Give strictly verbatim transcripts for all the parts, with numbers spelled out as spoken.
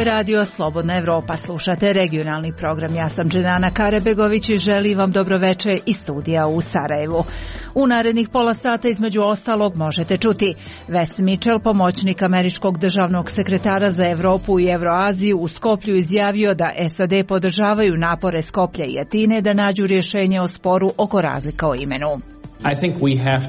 je radio Slobodna Evropa. Slušate regionalni program. Ja sam Dženana Karebegović i želim vam dobroveče iz studija u Sarajevu. U narednih pola sata između ostalog možete čuti Wes Mitchell, pomoćnik američkog državnog sekretara za Evropu i Evroaziju, u Skoplju izjavio da S A D podržavaju napore Skoplja i Atine da nađu rješenje o sporu oko razlika o imenu.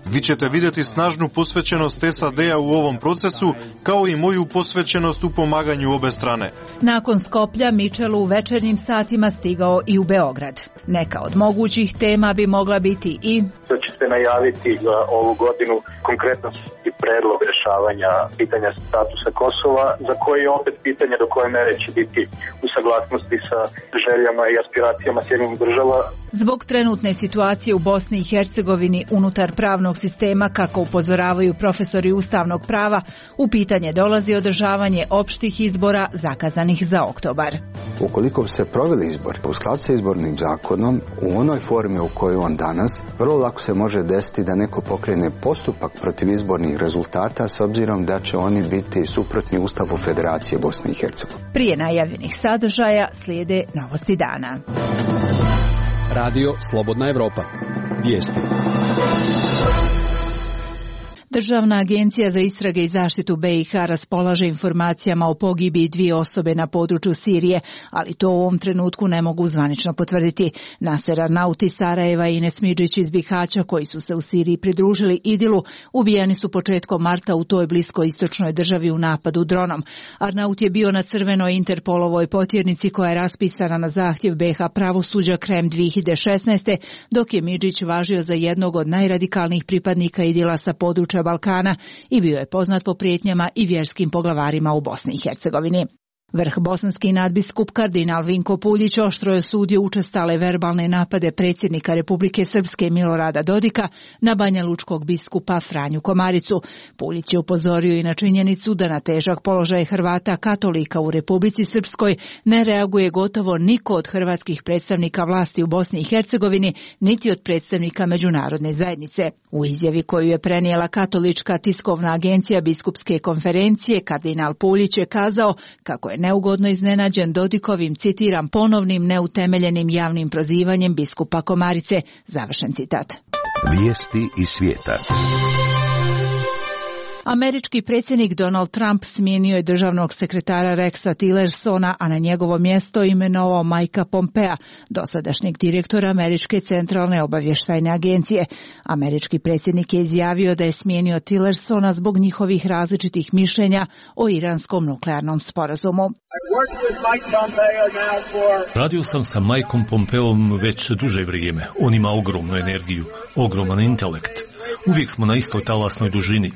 Vi ćete vidjeti snažnu posvećenost S A D-a u ovom procesu, kao i moju posvećenost u pomaganju obe strane. Nakon Skoplja, Mitchell u večernjim satima stigao i u Beograd. Neka od mogućih tema bi mogla biti i... To će se najaviti ovu godinu konkretno i predlog rješavanja pitanja statusa Kosova, za koje je opet pitanje do koje mere će biti u saglasnosti sa željama i aspiracijama Sjedinjenih država. Zbog trenutne situacije u Bosni i Hercegovini unutar pravnog sistema, kako upozoravaju profesori ustavnog prava, u pitanje dolazi održavanje opštih izbora zakazanih za oktobar. Ukoliko se proveli izbor u skladu sa izbornim zakonom u onoj formi u kojoj on danas, vrlo lako se može desiti da neko pokrene postupak protiv izbornih rezultata s obzirom da će oni biti suprotni Ustavu Federacije Bosne i Hercegovine. Prije najavljenih sadržaja slijede novosti dana. Radio Slobodna Evropa. Vijesti. Državna agencija za istrage i zaštitu B i H raspolaže informacijama o pogibiji dvije osobe na području Sirije, ali to u ovom trenutku ne mogu zvanično potvrditi. Naser Arnauti iz Sarajeva i Ines Midžić iz Bihaća, koji su se u Siriji pridružili Idilu, ubijeni su početkom marta u toj bliskoistočnoj državi u napadu dronom. Arnaut je bio na crvenoj Interpolovoj potjernici koja je raspisana na zahtjev B H pravosuđa krajem dvije hiljade šesnaeste. dok je Midžić važio za jednog od najradikalnijih pripadnika Idila sa područja Balkana i bio je poznat po prijetnjama i vjerskim poglavarima u Bosni i Hercegovini. Vrh bosanski nadbiskup kardinal Vinko Puljić oštro je osudio učestale verbalne napade predsjednika Republike Srpske Milorada Dodika na banjalučkog biskupa Franju Komaricu. Puljić je upozorio i na činjenicu da na težak položaj Hrvata katolika u Republici Srpskoj ne reaguje gotovo niko od hrvatskih predstavnika vlasti u Bosni i Hercegovini, niti od predstavnika međunarodne zajednice. U izjavi koju je prenijela katolička tiskovna agencija biskupske konferencije, kardinal Puljić je kazao kako je neugodno iznenađen Dodikovim, citiram, ponovnim neutemeljenim javnim prozivanjem biskupa Komarice. Završen citat. Vijesti iz svijeta. Američki predsjednik Donald Trump smijenio je državnog sekretara Rexa Tillersona, a na njegovo mjesto imenovao Mikea Pompea, dosadašnjeg direktora Američke centralne obavještajne agencije. Američki predsjednik je izjavio da je smijenio Tillersona zbog njihovih različitih mišljenja o iranskom nuklearnom sporazumu. Radio sam sa Mikeom Pompeom već duže vrijeme. On ima ogromnu energiju, ogroman intelekt. Uvijek smo na istoj talasnoj dužini.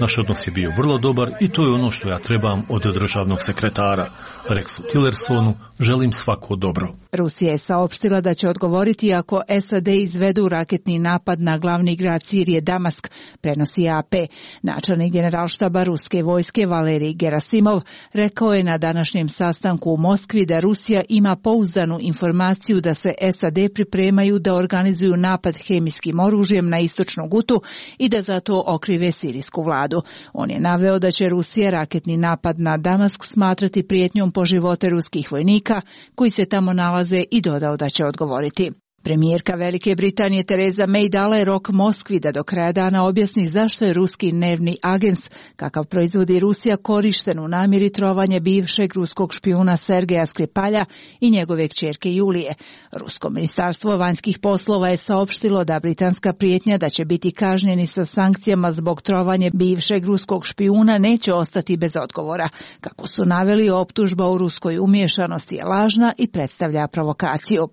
Naš odnos je bio vrlo dobar i to je ono što ja trebam od državnog sekretara. Rexu Tillersonu želim svako dobro. Rusija je saopštila da će odgovoriti ako S A D izvedu raketni napad na glavni grad Sirije Damask, prenosi A P. Načelnik generalštaba ruske vojske Valerij Gerasimov rekao je na današnjem sastanku u Moskvi da Rusija ima pouzdanu informaciju da se S A D pripremaju da organizuju napad hemijskim oružjem na istočnu Gutu i da zato okrive sirijsku vladu. On je naveo da će Rusija raketni napad na Damask smatrati prijetnjom po živote ruskih vojnika koji se tamo nalaze i dodao da će odgovoriti. Premijerka Velike Britanije Tereza May dala je rok Moskvi da do kraja dana objasni zašto je ruski nervni agens, kakav proizvodi Rusija, korišten u namjeri trovanja bivšeg ruskog špijuna Sergeja Skripalja i njegove kćerke Julije. Rusko ministarstvo vanjskih poslova je saopštilo da britanska prijetnja da će biti kažnjeni sa sankcijama zbog trovanja bivšeg ruskog špijuna neće ostati bez odgovora. Kako su naveli, optužba o ruskoj umiješanosti je lažna i predstavlja provokaciju.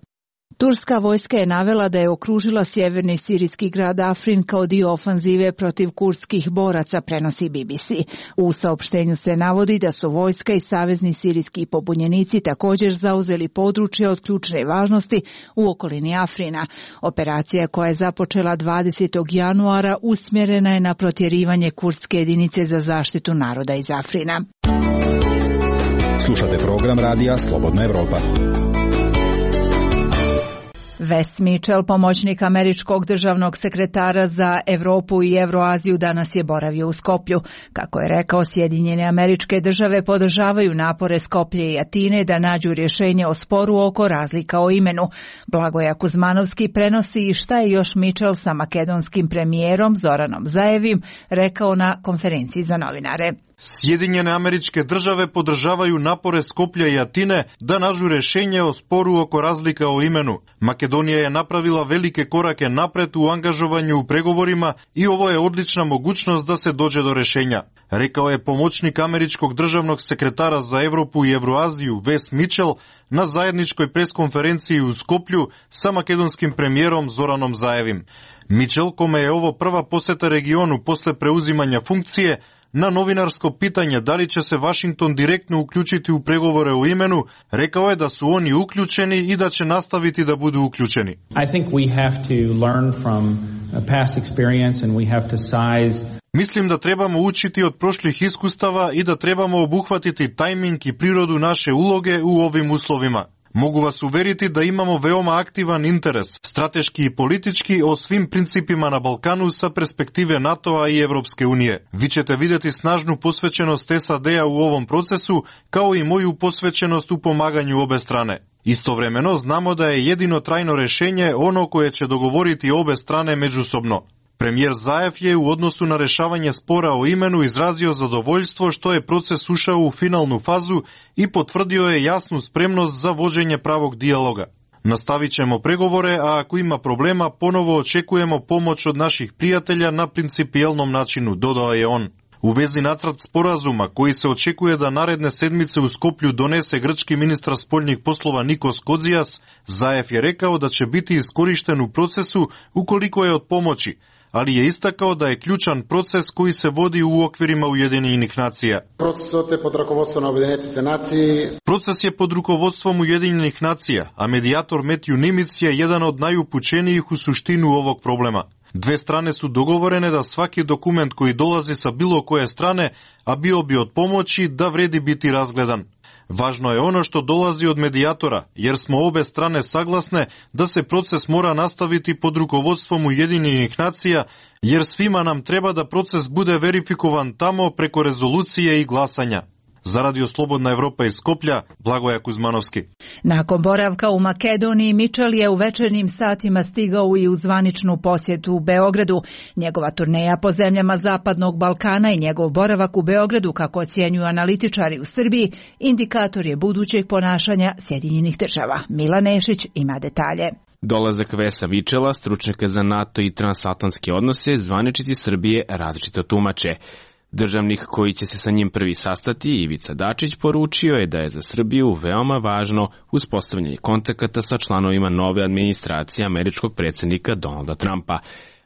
Turska vojska je navela da je okružila sjeverni sirijski grad Afrin kao dio ofanzive protiv kurdskih boraca, prenosi B B C. U saopštenju se navodi da su vojska i savezni sirijski pobunjenici također zauzeli područje od ključne važnosti u okolini Afrina. Operacija koja je započela dvadesetog januara usmjerena je na protjerivanje kurdske jedinice za zaštitu naroda iz Afrina. Slušate program radija Slobodna Evropa. Wes Mitchell, pomoćnik američkog državnog sekretara za Evropu i Evroaziju, danas je boravio u Skoplju. Kako je rekao, Sjedinjene Američke Države podržavaju napore Skoplje i Atine da nađu rješenje o sporu oko razlika o imenu. Blagoja Kuzmanovski prenosi šta je još Mitchell sa makedonskim premijerom Zoranom Zaevim rekao na konferenciji za novinare. Sjedinjene Američke Države podržavaju napore Skoplja i Atine da nađu rješenje o sporu oko razlika o imenu. Makedonija je napravila velike korake napred u angažovanju u pregovorima i ovo je odlična mogućnost da se dođe do rješenja, rekao je pomoćnik američkog državnog sekretara za Evropu i Evroaziju Wes Mitchell na zajedničkoj preskonferenciji u Skoplju sa makedonskim premijerom Zoranom Zaevim. Mitchell, kome je ovo prva posjeta regionu posle preuzimanja funkcije, na novinarsko pitanje da li će se Washington direktno uključiti u pregovore o imenu, rekao je da su oni uključeni i da će nastaviti da budu uključeni. I think we have to learn from past experience and we have to size. Mislim da trebamo učiti od prošlih iskustava i da trebamo obuhvatiti tajming i prirodu naše uloge u ovim uslovima. Mogu vas uveriti da imamo veoma aktivan interes, strateški i politički, o svim principima na Balkanu sa perspektive NATO-a i Evropske unije. Vi ćete vidjeti snažnu posvećenost S A D-a u ovom procesu, kao i moju posvećenost u pomaganju obe strane. Istovremeno znamo da je jedino trajno rješenje ono koje će dogovoriti obe strane međusobno. Premijer Zaev je u odnosu na rješavanje spora o imenu izrazio zadovoljstvo što je proces ušao u finalnu fazu i potvrdio je jasnu spremnost za vođenje pravog dijaloga. Nastavit ćemo pregovore, a ako ima problema, ponovo očekujemo pomoć od naših prijatelja na principijelnom načinu, dodao je on. U vezi nacrt sporazuma koji se očekuje da naredne sedmice u Skoplju donese grčki ministar spoljnih poslova Nikos Kodzijas, Zaev je rekao da će biti iskorišten u procesu ukoliko je od pomoći, ali je istakao da je ključan proces koji se vodi u okvirima Ujedinjenih nacija. Proces je pod rukovodstvom Ujedinjenih nacija, a medijator Matthew Nimitz je jedan od najupućenijih u suštinu ovog problema. Dve strane su dogovorene da svaki dokument koji dolazi sa bilo koje strane, a bio bi od pomoći, da vredi biti razgledan. Važno je ono što dolazi od medijatora, jer smo obe strane saglasne da se proces mora nastaviti pod rukovodstvom Ujedinjenih nacija, jer svima nam treba da proces bude verifikovan tamo preko rezolucije i glasanja. Za Radio Slobodna Evropa iz Skoplja, Blagoja Kuzmanovski. Nakon boravka u Makedoniji, Mitchell je u večernjim satima stigao i u zvaničnu posjetu u Beogradu. Njegova turneja po zemljama Zapadnog Balkana i njegov boravak u Beogradu, kako ocjenjuju analitičari u Srbiji, indikator je budućeg ponašanja Sjedinjenih Država. Milan Nešić ima detalje. Dolazak Vesa Mitchella, stručnjaka za NATO i transatlantske odnose, zvaničnici Srbije različito tumače. Državnik koji će se sa njim prvi sastati, Ivica Dačić, poručio je da je za Srbiju veoma važno uspostavljanje kontakata sa članovima nove administracije američkog predsjednika Donalda Trumpa.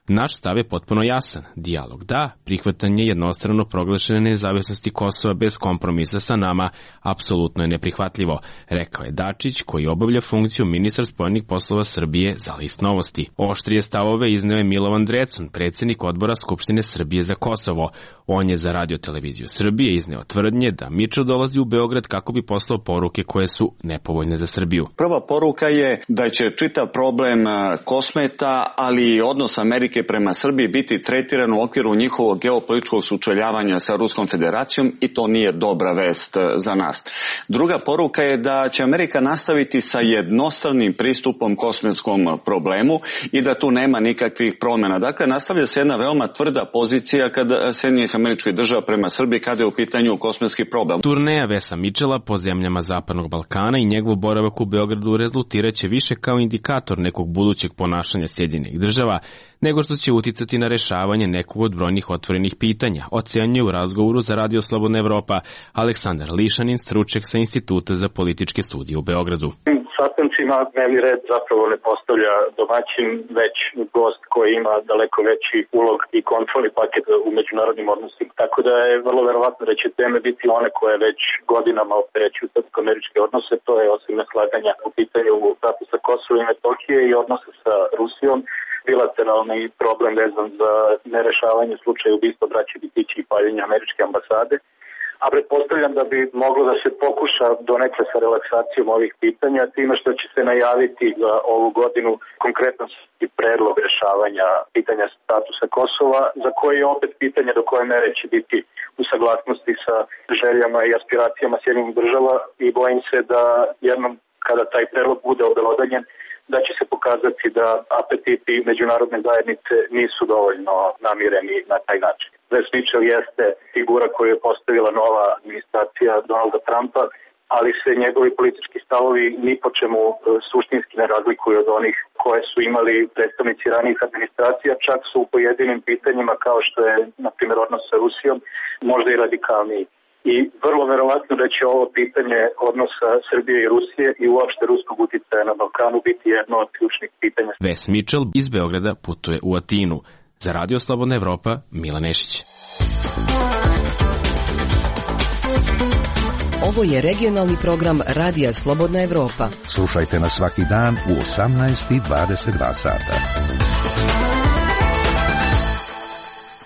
Naš stav je potpuno jasan. Dijalog da, prihvatanje jednostrano proglašene nezavisnosti Kosova bez kompromisa sa nama apsolutno je neprihvatljivo, rekao je Dačić, koji obavlja funkciju ministar spoljnih poslova Srbije za List Novosti. Oštrije stavove izneo je Milovan Drecun, predsjednik odbora Skupštine Srbije za Kosovo. On je za Radio televiziju Srbije izneo tvrdnje da Mitchell dolazi u Beograd kako bi poslao poruke koje su nepovoljne za Srbiju. Prva poruka je da će čitav problem Kosmeta, ali i odnos Amerike prema Srbiji biti tretiran u okviru njihovog geopolitičkog sučeljavanja sa Ruskom federacijom i to nije dobra vest za nas. Druga poruka je da će Amerika nastaviti sa jednostavnim pristupom kosmetskom problemu i da tu nema nikakvih promjena. Dakle, nastavlja se jedna veoma tvrda pozicija kada Sjedinjenih Američkih Država prema Srbiji kada je u pitanju kosmetski problem. Turneja Vesa Mitchella po zemljama Zapadnog Balkana i njegov boravak u Beogradu rezultiraće više kao indikator nekog budućeg ponašanja Sjedinjenih Država, nego što će uticati na rešavanje nekog od brojnih otvorenih pitanja, ocenjuje u razgovoru za Radio Slobodna Evropa Aleksandar Lišanin, stručnjak sa Instituta za političke studije u Beogradu. Sastancima dnevni red zapravo ne postavlja domaćin, već gost koji ima daleko veći ulog i kontrolni paket u međunarodnim odnosima. Tako da je vrlo verovatno da će teme biti one koje već godinama opterećuju srpsko-američke odnose, to je osim neslaganja u pitanju statusa Kosova i Metohije i odnose sa Rusijom, bilateralni problem vezan za nerešavanje slučaja ubistva braće Bitići i paljenja američke ambasade, a pretpostavljam da bi moglo da se pokuša donekle sa relaksacijom ovih pitanja, time što će se najaviti za ovu godinu konkretno i predlog rešavanja pitanja statusa Kosova, za koje je opet pitanje do koje mere će biti u saglasnosti sa željama i aspiracijama Sjedinjenih država i bojim se da jednom kada taj predlog bude obelodanjen, da će se pokazati da apetiti međunarodne zajednice nisu dovoljno namireni na taj način. Wes Mitchell jeste figura koju je postavila nova administracija Donalda Trumpa, ali se njegovi politički stavovi ni po čemu suštinski ne razlikuju od onih koje su imali predstavnici ranijih administracija, čak su u pojedinim pitanjima kao što je, na primjer, odnos sa Rusijom, možda i radikalniji. I vrlo verovatno da će ovo pitanje odnosa Srbije i Rusije i uopšte ruskog uticaja na Balkanu biti jedno od ključnih pitanja. Wes Mitchell iz Beograda putuje u Atinu. Za Radio Slobodna Evropa, Milan Nešić. Ovo je regionalni program Radija Slobodna Evropa. Slušajte nas svaki dan u osamnaest i dvadeset dva sata.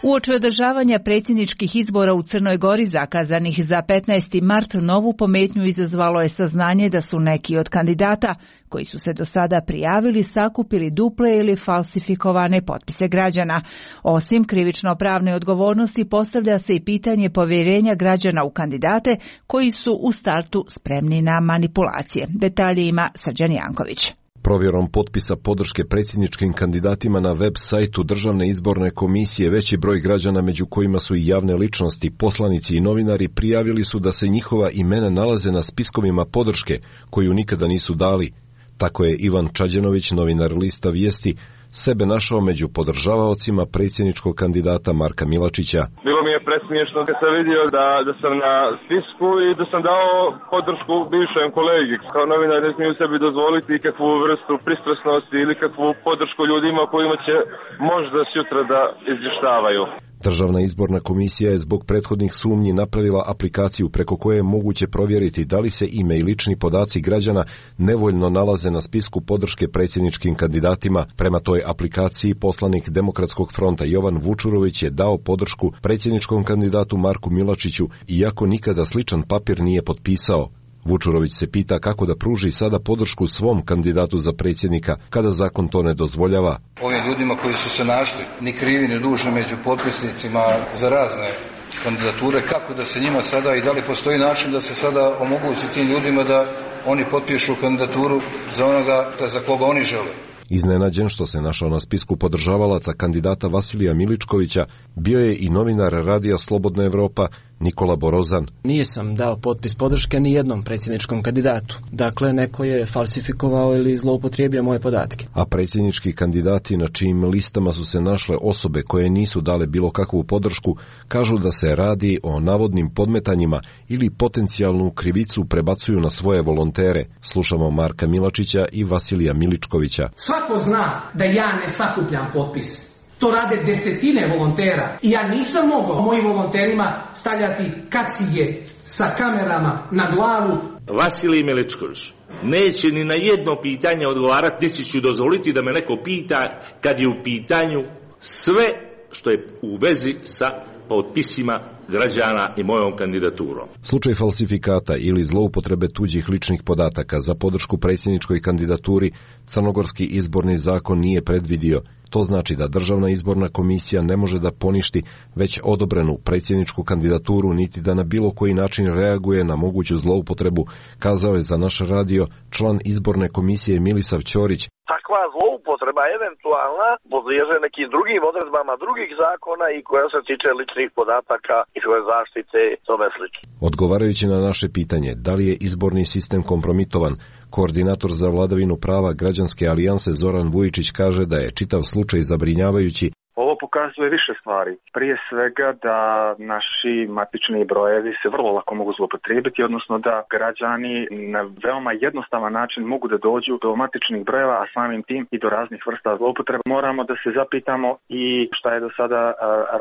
Uoči održavanja predsjedničkih izbora u Crnoj Gori zakazanih za petnaesti mart, novu pometnju izazvalo je saznanje da su neki od kandidata koji su se do sada prijavili sakupili duple ili falsifikovane potpise građana. Osim krivično-pravne odgovornosti postavlja se i pitanje povjerenja građana u kandidate koji su u startu spremni na manipulacije. Detalje ima Srđan Janković. Provjerom potpisa podrške predsjedničkim kandidatima na web sajtu Državne izborne komisije veći broj građana, među kojima su i javne ličnosti, poslanici i novinari, prijavili su da se njihova imena nalaze na spiskovima podrške koju nikada nisu dali. Tako je Ivan Čađenović, novinar Lista Vijesti, sebe našao među podržavaocima predsjedničkog kandidata Marka Milačića. Bilo mi je presmiješno da sam vidio da, da sam na spisku i da sam dao podršku bivšem kolegi. Kao novinar ne smiju sebi dozvoliti kakvu vrstu pristrasnosti ili kakvu podršku ljudima kojima će možda sutra da izvještavaju. Državna izborna komisija je zbog prethodnih sumnji napravila aplikaciju preko koje je moguće provjeriti da li se ime i lični podaci građana nevoljno nalaze na spisku podrške predsjedničkim kandidatima. Prema toj aplikaciji poslanik Demokratskog fronta Jovan Vučurović je dao podršku predsjedničkom kandidatu Marku Milačiću, iako nikada sličan papir nije potpisao. Vučurović se pita kako da pruži sada podršku svom kandidatu za predsjednika, kada zakon to ne dozvoljava. Ovim ljudima koji su se našli, ni krivi ni dužni među potpisnicima za razne kandidature, kako da se njima sada i da li postoji način da se sada omogući tim ljudima da oni potpišu kandidaturu za onoga za koga oni žele. Iznenađen što se našao na spisku podržavalaca kandidata Vasilija Miličkovića, bio je i novinar Radija Slobodna Evropa Nikola Borozan. Nisam dao potpis podrške ni jednom predsjedničkom kandidatu. Dakle, neko je falsifikovao ili zloupotrijebio moje podatke. A predsjednički kandidati na čijim listama su se našle osobe koje nisu dale bilo kakvu podršku, kažu da se radi o navodnim podmetanjima ili potencijalnu krivicu prebacuju na svoje volontere. Slušamo Marka Milačića i Vasilija Miličkovića. Svako zna da ja ne sakupljam potpise. To rade desetine volontera i ja nisam mogao mojim volonterima stavljati kacige sa kamerama na glavu. Vasilij Miličković neće ni na jedno pitanje odgovarati, niti ću dozvoliti da me neko pita kad je u pitanju sve što je u vezi sa potpisima građana i mojom kandidaturom. Slučaj falsifikata ili zloupotrebe tuđih ličnih podataka za podršku predsjedničkoj kandidaturi Crnogorski izborni zakon nije predvidio. To znači da Državna izborna komisija ne može da poništi već odobrenu predsjedničku kandidaturu niti da na bilo koji način reaguje na moguću zloupotrebu, kazao je za naš radio član izborne komisije Milisav Ćorić. Takva zloupotreba eventualna podliježe nekim drugim odredbama drugih zakona i koja se tiče ličnih podataka i svoje zaštite i tome slično. Odgovarajući na naše pitanje da li je izborni sistem kompromitovan, koordinator za vladavinu prava Građanske alijanse Zoran Vujičić kaže da je čitav slučaj zabrinjavajući. Ovo pokazuje više stvari. Prije svega da naši matični brojevi se vrlo lako mogu zloupotrijebiti, odnosno da građani na veoma jednostavan način mogu da dođu do matičnih brojeva, a samim tim i do raznih vrsta zloupotreba. Moramo da se zapitamo i šta je do sada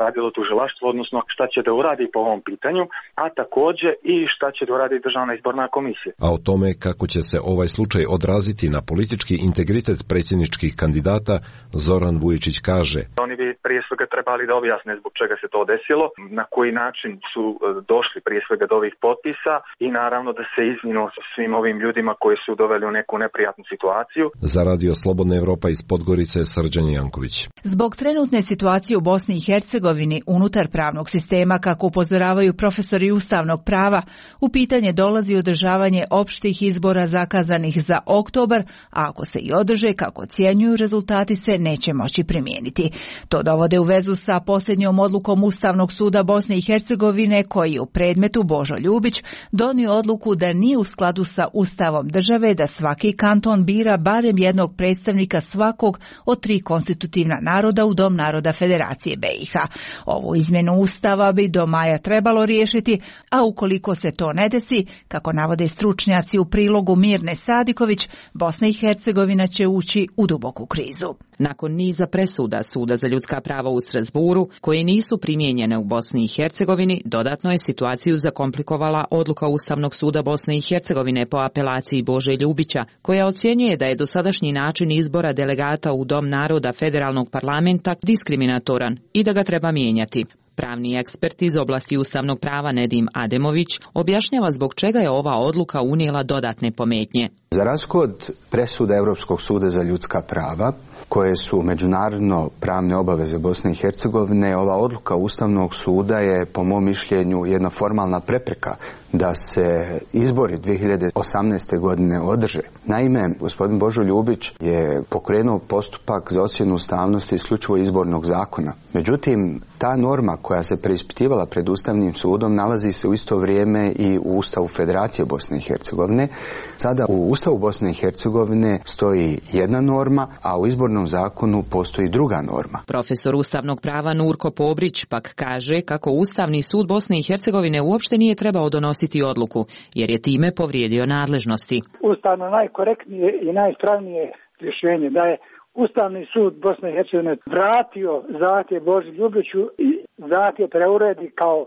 radilo tužilaštvo, odnosno šta će da uradi po ovom pitanju, a također i šta će da uradi Državna izborna komisija. A o tome kako će se ovaj slučaj odraziti na politički integritet predsjedničkih kandidata, Zoran Vujičić kaže. Oni bi prije svega trebali da objasne zbog čega se to desilo, na koji način su došli prije svega do ovih potpisa i naravno da se izvinu sa svim ovim ljudima koji su doveli u neku neprijatnu situaciju. Za Radio Slobodna Evropa iz Podgorice, Srđan Janković. Zbog trenutne situacije u Bosni i Hercegovini unutar pravnog sistema, kako upozoravaju profesori ustavnog prava, u pitanje dolazi održavanje opštih izbora zakazanih za oktobar, a ako se i održe, kako ocjenjuju, rezultati se neće moći primijeniti. To dovode u vezu sa posljednjom odlukom Ustavnog suda Bosne i Hercegovine, koji u predmetu Božo Ljubić donio odluku da nije u skladu sa Ustavom države da svaki kanton bira barem jednog predstavnika svakog od tri konstitutivna naroda u Dom naroda Federacije be i ha. Ovu izmjenu Ustava bi do maja trebalo riješiti, a ukoliko se to ne desi, kako navode stručnjaci u prilogu Mirne Sadiković, Bosna i Hercegovina će ući u duboku krizu. Nakon niza presuda Suda za ljudska prava u Strasburu, koje nisu primijenjene u Bosni i Hercegovini, dodatno je situaciju zakomplikovala odluka Ustavnog suda Bosne i Hercegovine po apelaciji Bože Ljubića, koja ocjenjuje da je dosadašnji način izbora delegata u Dom naroda Federalnog parlamenta diskriminatoran i da ga treba mijenjati. Pravni ekspert iz oblasti ustavnog prava Nedim Ademović objašnjava zbog čega je ova odluka unijela dodatne pometnje. Za razliku od presuda Europskog suda za ljudska prava, koje su međunarodno pravne obaveze Bosne i Hercegovine, ova odluka Ustavnog suda je, po mom mišljenju, jedna formalna prepreka da se izbori dvije hiljade osamnaeste. godine održe. Naime, gospodin Božo Ljubić je pokrenuo postupak za ocjenu ustavnosti isključivo izbornog zakona. Međutim, ta norma koja se preispitivala pred Ustavnim sudom nalazi se u isto vrijeme i u Ustavu Federacije Bosne i Hercegovine. Sada u Ustavu Bosne i Hercegovine stoji jedna norma, a u izbornom zakonu postoji druga norma. Profesor ustavnog prava Nurko Pobrić pak kaže kako Ustavni sud Bosne i Hercegovine uopšte nije trebao donositi odluku, jer je time povrijedio nadležnosti. Ustavno najkorektnije i najispravnije rješenje da je Ustavni sud Bosne i Hercegovine vratio zahtjev Boži Ljubiću i zahtjev preuredi kao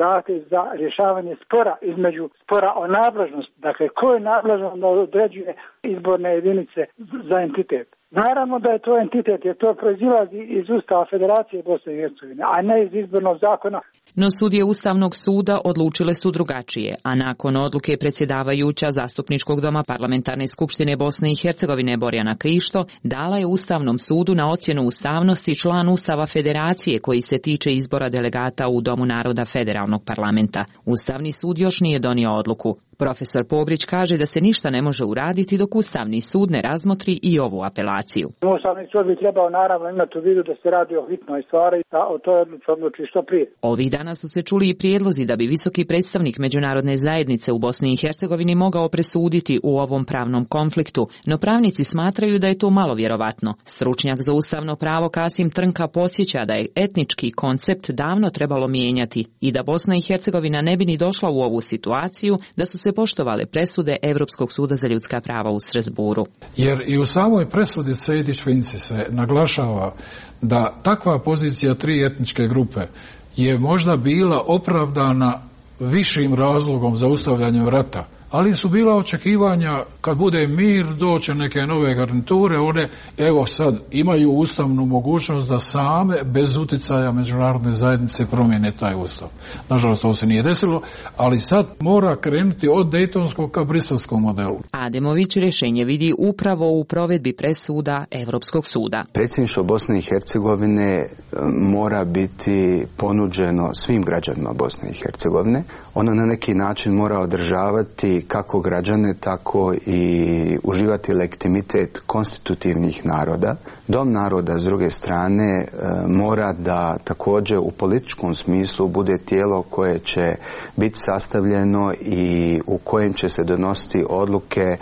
zahtjev za rješavanje spora između spora o nadležnosti. Dakle, ko je nadležan da određuje izborne jedinice za entitet? Naravno da je to entitet, jer to proizilazi iz Ustava Federacije Bosne i Hercegovine, a ne iz izbornog zakona. No sudije Ustavnog suda odlučile su drugačije, a nakon odluke predsjedavajuća Zastupničkog doma Parlamentarne skupštine Bosne i Hercegovine Borjana Krišto dala je Ustavnom sudu na ocjenu ustavnosti član Ustava Federacije koji se tiče izbora delegata u Domu naroda Federalnog parlamenta. Ustavni sud još nije donio odluku. Profesor Pobrić kaže da se ništa ne može uraditi dok Ustavni sud ne razmotri i ovu apelaciju. Ustavni sud bi trebao naravno imati u vidu da se radi o hitnoj stvari, da o toj odluci odluči što prije. Ovih dana su se čuli i prijedlozi da bi visoki predstavnik međunarodne zajednice u Bosni i Hercegovini mogao presuditi u ovom pravnom konfliktu, no pravnici smatraju da je to malo vjerovatno. Stručnjak za ustavno pravo Kasim Trnka podsjeća da je etnički koncept davno trebalo mijenjati i da Bosna i Hercegovina ne bi ni došla u ovu situaciju da su se poštovale presude Europskog suda za ljudska prava u Strasburu. Jer i u samoj presudi Sejdić-Finci se naglašava da takva pozicija tri etničke grupe je možda bila opravdana višim razlogom za ustavljanje rata, ali su bila očekivanja kad bude mir, doće neke nove garniture, one evo sad imaju ustavnu mogućnost da same bez uticaja međunarodne zajednice promijene taj ustav. Nažalost, to se nije desilo, ali sad mora krenuti od dejtonskog ka briselskom modelu. Ademović rješenje vidi upravo u provedbi presuda Europskog suda. Predsjedništvo Bosne i Hercegovine mora biti ponuđeno svim građanima Bosne i Hercegovine. Ono na neki način mora održavati kako građane, tako i uživati legitimitet konstitutivnih naroda. Dom naroda, s druge strane, mora da također u političkom smislu bude tijelo koje će biti sastavljeno i u kojem će se donositi odluke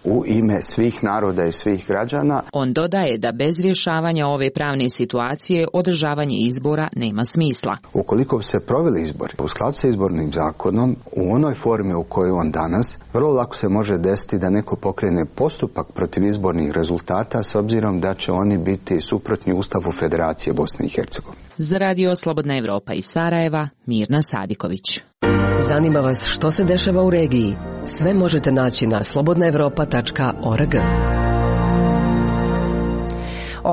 u ime svih naroda i svih građana. On dodaje da bez rješavanja ove pravne situacije održavanje izbora nema smisla. Ukoliko bi se proveli izbori u skladu sa izbornim zakonom u onoj formi u kojoj on danas, vrlo lako se može desiti da neko pokrene postupak protiv izbornih rezultata s obzirom da će oni biti suprotni Ustavu Federacije Bosne i Hercegovine. Za Radio Slobodna Evropa iz Sarajeva, Mirna Sadiković. Zanima vas što se dešava u regiji? Sve možete naći na slobodna evropa tačka org.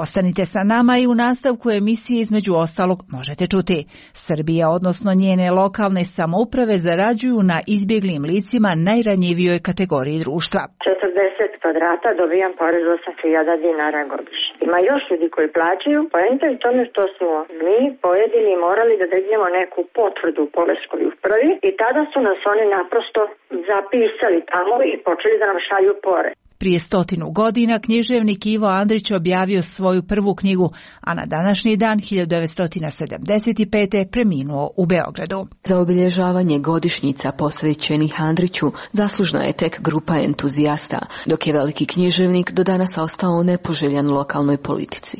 Ostanite sa nama i u nastavku emisije između ostalog možete čuti. Srbija, odnosno njene lokalne samouprave, zarađuju na izbjeglim licima najranjivijoj kategoriji društva. četrdeset kvadrata dobijam porez osam hiljada dinara godišnje. Ima još ljudi koji plaćaju, poenta je u tome što smo mi pojedini morali da dignemo neku potvrdu u poreskoj upravi i tada su nas oni naprosto zapisali tamo i počeli da nam šalju porez. Prije stotinu godina književnik Ivo Andrić objavio svoju prvu knjigu, a na današnji dan hiljadu devetsto sedamdeset pete preminuo u Beogradu. Za obilježavanje godišnjica posvećenih Andriću zaslužna je tek grupa entuzijasta, dok je veliki književnik do danas ostao nepoželjan lokalnoj politici.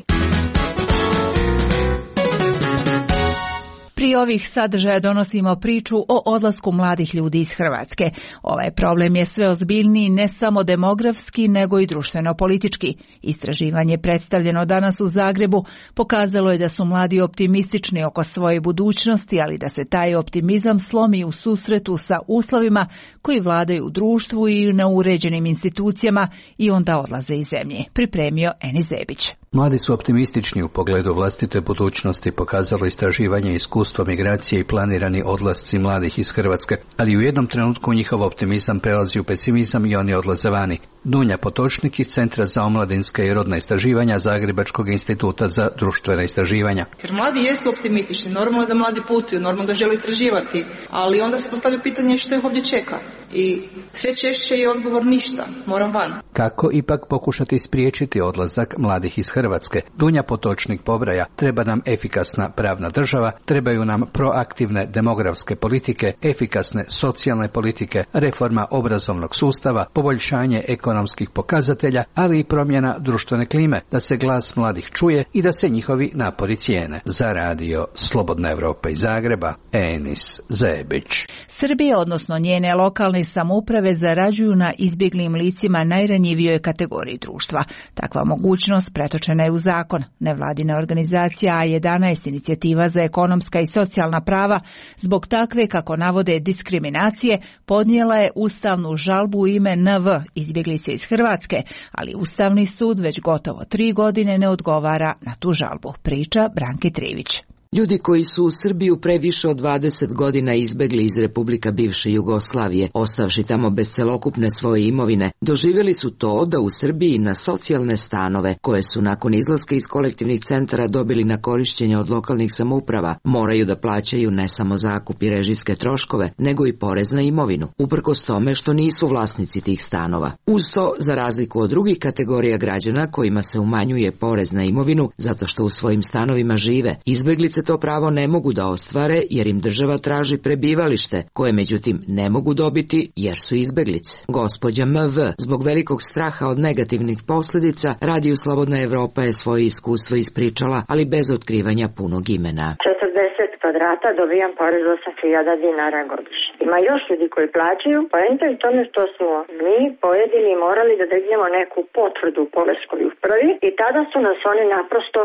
Prije ovih sadržaja donosimo priču o odlasku mladih ljudi iz Hrvatske. Ovaj problem je sve ozbiljniji ne samo demografski, nego i društveno-politički. Istraživanje predstavljeno danas u Zagrebu pokazalo je da su mladi optimistični oko svoje budućnosti, ali da se taj optimizam slomi u susretu sa uslovima koji vladaju u društvu i na uređenim institucijama i onda odlaze iz zemlje. Pripremio Eni Zebić. Mladi su optimistični u pogledu vlastite budućnosti, pokazalo istraživanje iskustva migracije i planirani odlasci mladih iz Hrvatske, ali u jednom trenutku njihov optimizam prelazi u pesimizam i oni odlaze vani. Dunja Potočnik iz Centra za omladinska i rodna istraživanja Zagrebačkog instituta za društvena istraživanja. Jer mladi jesu optimistični, normalno je da mladi putuju, normalno da žele istraživati, ali onda se postavlja pitanje što ih ovdje čeka. I sve češće je odgovor ništa, moram van. Kako ipak pokušati spriječiti odlazak mladih iz Hrvatske? Dunja Potočnik pobraja, treba nam efikasna pravna država, trebaju nam proaktivne demografske politike, efikasne socijalne politike, reforma obrazovnog sustava, poboljšanje ekonomskih pokazatelja, ali i promjena društvene klime, da se glas mladih čuje i da se njihovi napori cijene. Za radio Slobodna Evropa iz Zagreba, Enis Zebić. Srbija, odnosno njene lokalne samouprave, zarađuju na izbjeglim licima najranjivijoj kategoriji društva. Takva mogućnost pretočena je u zakon. Nevladina organizacija A jedanaest, inicijativa za ekonomska i socijalna prava, zbog takve, kako navode, diskriminacije, podnijela je ustavnu žalbu u ime N V, izbjeglice iz Hrvatske, ali Ustavni sud već gotovo tri godine ne odgovara na tu žalbu. Priča Branki Trivić. Ljudi koji su u Srbiju pre više od dvadeset godina izbegli iz Republika bivše Jugoslavije, ostavši tamo bez celokupne svoje imovine, doživjeli su to da u Srbiji na socijalne stanove, koje su nakon izlaska iz kolektivnih centara dobili na korišćenje od lokalnih samouprava, moraju da plaćaju ne samo zakup i režijske troškove, nego i porez na imovinu, uprkos tome što nisu vlasnici tih stanova. Uz to, za razliku od drugih kategorija građana kojima se umanjuje porez na imovinu zato što u svojim stanovima žive, izbeglice to pravo ne mogu da ostvare jer im država traži prebivalište, koje međutim ne mogu dobiti jer su izbeglice. Gospođa M V zbog velikog straha od negativnih posljedica Radiju Slobodna Evropa je svoje iskustvo ispričala, ali bez otkrivanja punog imena. četrdeset kvadrata dobijam porez osam hiljada dinara godišnje. Ima još ljudi koji plaćaju, poenta je u tome što smo mi pojedini morali da dignemo neku potvrdu u poreskoj upravi i tada su nas oni naprosto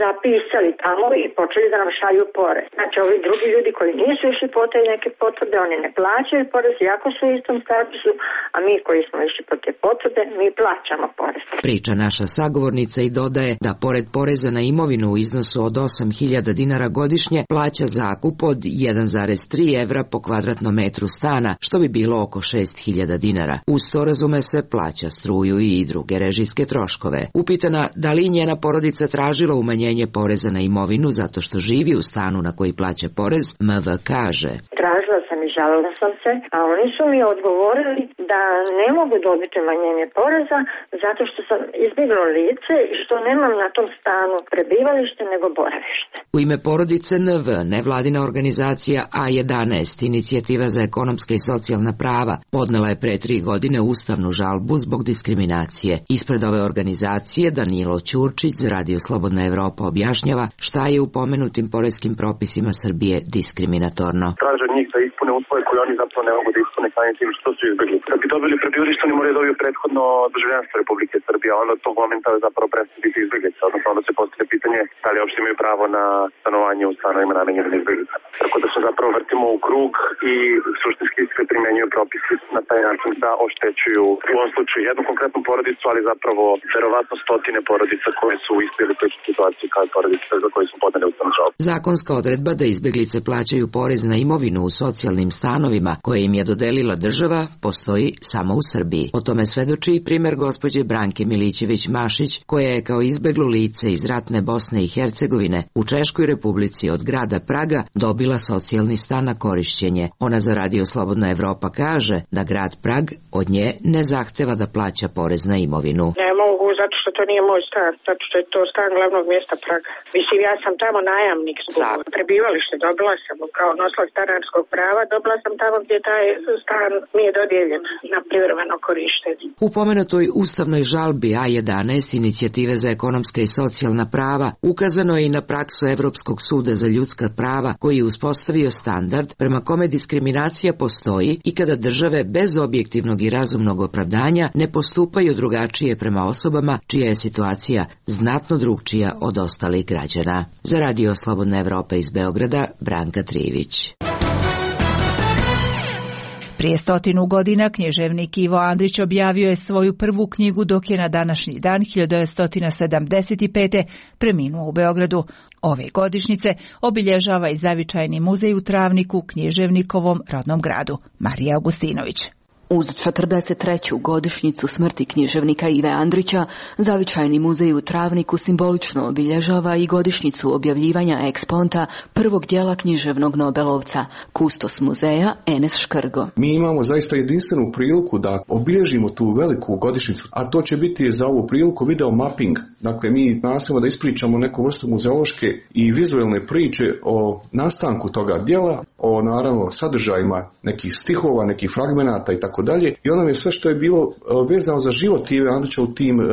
zapisali tamo i počeli da nam šalju porez. Znači ovi drugi ljudi koji nisu išli po te neke potvrde, oni ne plaćaju porez iako su u istom statusu, a mi koji smo išli po te potvrde, mi plaćamo porez. Priča naša sagovornica i dodaje da pored poreza na imovinu u iznosu od osam hiljada dinara godišnje plaća zakup od jedan zarez tri evra po kvadratnom metru stana, što bi bilo oko šest hiljada dinara. Uz to, razume se, plaća struju i druge režijske troškove. Upitana da li njena porodica tražila umanjenje poreza na imovinu zato što živi u stanu na koji plaća porez, M V kaže: Tražila sam i žalila sam se, a oni su mi odgovorili da ne mogu dobiti umanjenje poreza zato što sam izbjeglo lice i što nemam na tom stanu prebivalište nego boravište. U ime porodice N V, nevladina organizacija A jedanaest, inicijativa za ekonomska i socijalna prava, podnela je pre tri godine ustavnu žalbu zbog diskriminacije. Ispred ove organizacije Danilo Ćurčić za Radio Slobodna Evropa objašnjava šta je u pomenutim poreskim propisima Srbije diskriminatorno. Traže njih da ispune uslove koje oni zapravo ne mogu da ispune samim tim što su izbjegli. Da bi dobili prebivalište, oni moraju dobiti prethodno državljanstvo Republike Srbije, a onda od tog momenta zapravo prestati biti izbjeglice, odnosno onda se postavlja pitanje da li uopšte imaju pravo na stanovanje u stanovima namenjenim interna izbjeglica. Tako da se zapravo vrtimo u krug i suštinski se primjenjuju propisi na taj način da oštećuju u ovom slučaju jednu konkretnu porodicu, ali zapravo verovatno stotine porodica koje su u istoj ili sličnoj situaciji kao porodice za koje su podane ustavnu žalbu. Zakonska odredba da izbjeglice plaćaju porez na imovinu u socijalnim stanovima koje im je dodelila država postoji samo u Srbiji. O tome svedoči i primjer gospođe Branke Milićević-Mašić, koja je kao izbeglo lice iz ratne Bosne i Hercegovine u Češkoj Republici od grada Praga dobila socijalni stan na korišćenje. Ona za Radio Slobodna Evropa kaže da grad Prag od nje ne zahteva da plaća porez na imovinu. Ne mogu, zato što to nije moj stan, zato što je to stan glavnog mjesta Praga. Mislim, ja sam tamo najamnik zbog prebivalište, dobila sam kao nosilac stanarskog prava, dobila sam tamo gdje taj stan mi je dodijeljen na privremeno korištenje. U pomenutoj ustavnoj žalbi A jedanaest inicijative za ekonomska i socijalna prava ukazano je i na praksu Evropskog suda za ljudska prava koji je uspostavio standard prema kome diskriminacija postoji i kada države bez objektivnog i razumnog opravdanja ne postupaju drugačije prema osobama čija je situacija znatno drugčija od ostalih građana. Za Radio Slobodna Evropa iz Beograda, Branka Trivić. Prije stotinu godina književnik Ivo Andrić objavio je svoju prvu knjigu, dok je na današnji dan hiljadu devetsto sedamdeset pete. preminuo u Beogradu. Ove godišnjice obilježava i zavičajni muzej u Travniku, književnikovom rodnom gradu. Marija Augustinović. Uz četrdeset treću godišnjicu smrti književnika Ive Andrića, zavičajni muzej u Travniku simbolično obilježava i godišnjicu objavljivanja eksponta prvog dijela književnog Nobelovca, kustos muzeja Enes Škrgo. Mi imamo zaista jedinstvenu priliku da obilježimo tu veliku godišnjicu, a to će biti za ovu priliku video mapping. Dakle, mi nastojimo da ispričamo neku vrstu muzeološke i vizualne priče o nastanku toga djela, o naravno sadržajima nekih stihova, nekih fragmenata i tako dalje. I ono je sve što je bilo vezano za život Ive Andrića u tim e,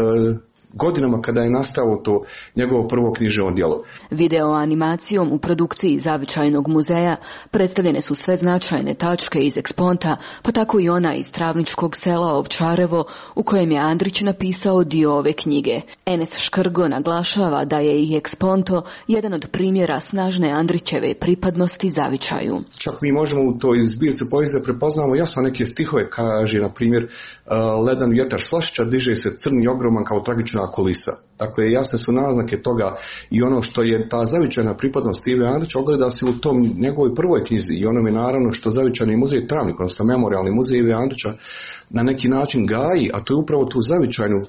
godinama kada je nastalo to njegovo prvo književno djelo. Video animacijom u produkciji zavičajnog muzeja predstavljene su sve značajne tačke iz eksponta, pa tako i ona iz travničkog sela Ovčarevo u kojem je Andrić napisao dio ove knjige. Enes Škrgo naglašava da je i eksponto jedan od primjera snažne Andrićeve pripadnosti zavičaju. Čak mi možemo u toj zbirci poezije da prepoznamo jasno neke stihove, kaže na primjer ledan vjetar s Vlašića diže se crni ogroman kao tragična kulisa. Dakle, jasne su naznake toga i ono što je ta zavičajna pripadnost Ive Andrića ogleda se u tom njegovoj prvoj knjizi i onome naravno što zavičajni muzej Travnik, odnosno memorijalni muzej Ive Andrića na neki način gaji, a to je upravo tu zavičajnu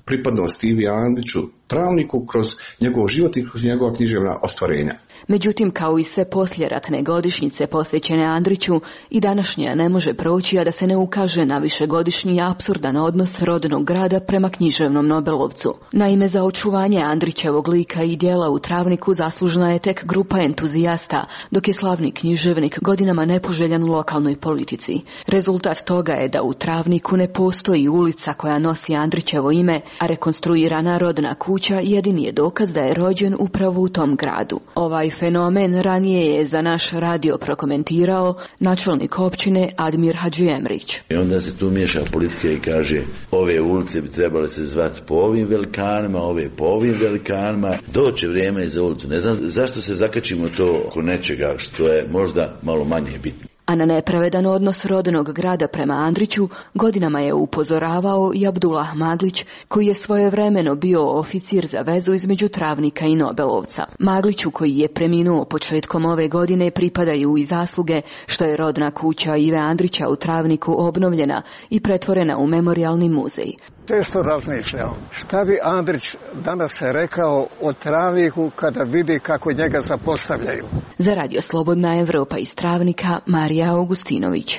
pripadnost Ive Andriću Travniku kroz njegov život i kroz njegova književna ostvarenja. Međutim, kao i sve posljeratne godišnjice posvećene Andriću, i današnja ne može proći, a da se ne ukaže na višegodišnji apsurdan odnos rodnog grada prema književnom Nobelovcu. Naime, za očuvanje Andrićevog lika i djela u Travniku zaslužna je tek grupa entuzijasta, dok je slavni književnik godinama nepoželjan u lokalnoj politici. Rezultat toga je da u Travniku ne postoji ulica koja nosi Andrićevo ime, a rekonstruirana rodna kuća jedini je dokaz da je rođen upravo u tom gradu. Ovaj fenomen ranije je za naš radio prokomentirao načelnik općine Admir Hadžiemrić. I onda se tu miješa politika i kaže ove ulice bi trebale se zvati po ovim velikanima, ove po ovim velikanima. Doće vrijeme za ulicu. Ne znam zašto se zakačimo to oko nečega što je možda malo manje bitno. A na nepravedan odnos rodnog grada prema Andriću godinama je upozoravao i Abdullah Maglić, koji je svojevremeno bio oficir za vezu između Travnika i Nobelovca. Magliću, koji je preminuo početkom ove godine, pripadaju i zasluge što je rodna kuća Ive Andrića u Travniku obnovljena i pretvorena u memorijalni muzej. Često razmišljam šta bi Andrić danas rekao o Travniku kada vidi kako njega zapostavljaju. Za Radio Slobodna Evropa iz Travnika, Marija Augustinović.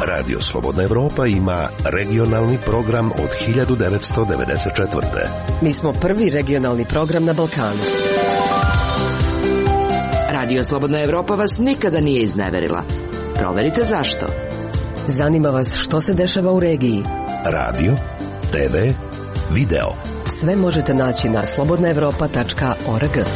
Radio Slobodna Evropa ima regionalni program od hiljadu devetsto devedeset četvrte. Mi smo prvi regionalni program na Balkanu. Radio Slobodna Evropa vas nikada nije izneverila. Proverite zašto. Zanima vas što se dešava u regiji. Radio, te ve, video. Sve možete naći na slobodna evropa tačka org.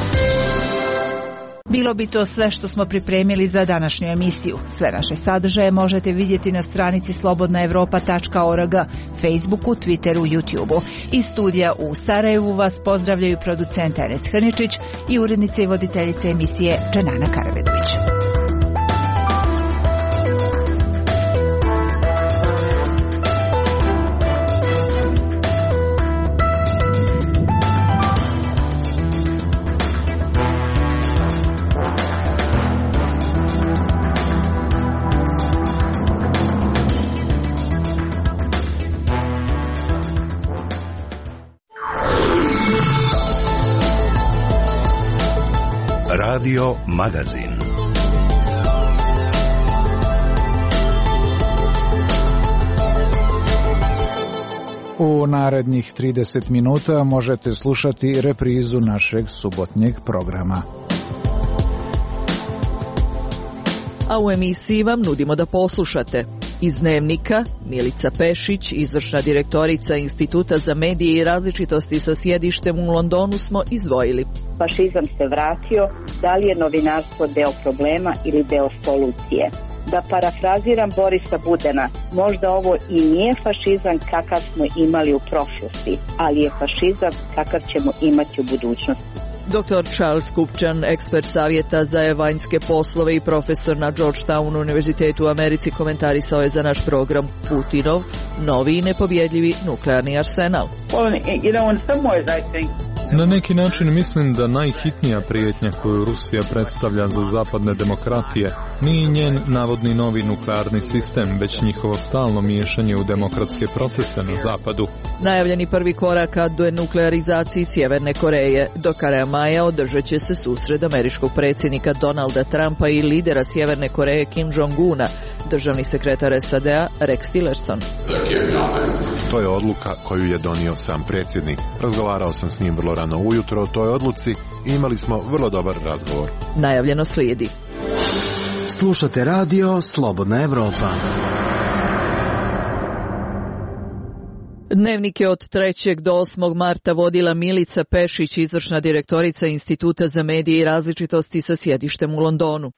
Bilo bi to sve što smo pripremili za današnju emisiju. Sve naše sadržaje možete vidjeti na stranici slobodna evropa tačka org, Facebooku, Twitteru, YouTubeu. Iz studija u Sarajevu vas pozdravljaju producent Enes Hrničić i urednica i voditeljica emisije Dženana Karavedović. Radio Magazin. U narednih trideset minuta možete slušati reprizu našeg subotnjeg programa. A u emisiji vam nudimo da poslušate. Iz Dnevnika, Milica Pešić, izvršna direktorica Instituta za medije i različitosti sa sjedištem u Londonu, smo izdvojili. Fašizam se vratio, da li je novinarstvo deo problema ili deo solucije? Da parafraziram Borisa Budena, možda ovo i nije fašizam kakav smo imali u prošlosti, ali je fašizam kakav ćemo imati u budućnosti. doktor Charles Kupčan, ekspert savjeta za vanjske poslove i profesor na Georgetown univerzitetu u Americi, komentarisao je za naš program Putinov novi i nepobjedljivi nuklearni arsenal. Na neki način mislim da najhitnija prijetnja koju Rusija predstavlja za zapadne demokratije nije njen navodni novi nuklearni sistem, već njihovo stalno miješanje u demokratske procese na zapadu. Najavljeni prvi korak ka denuklearizaciji Sjeverne Koreje. Do kraja maja održat će se susret američkog predsjednika Donalda Trumpa i lidera Sjeverne Koreje Kim Jong-una, državni sekretar S A D-a Rex Tillerson. To je odluka koju je donio sam predsjednik. Razgovarao sam s njim vrlo rano ujutro o toj odluci i imali smo vrlo dobar razgovor. Najavljeno slijedi. Slušate radio Slobodna Evropa. Dnevnik je od trećeg do osmog marta vodila Milica Pešić, izvršna direktorica Instituta za medije i različitosti sa sjedištem u Londonu.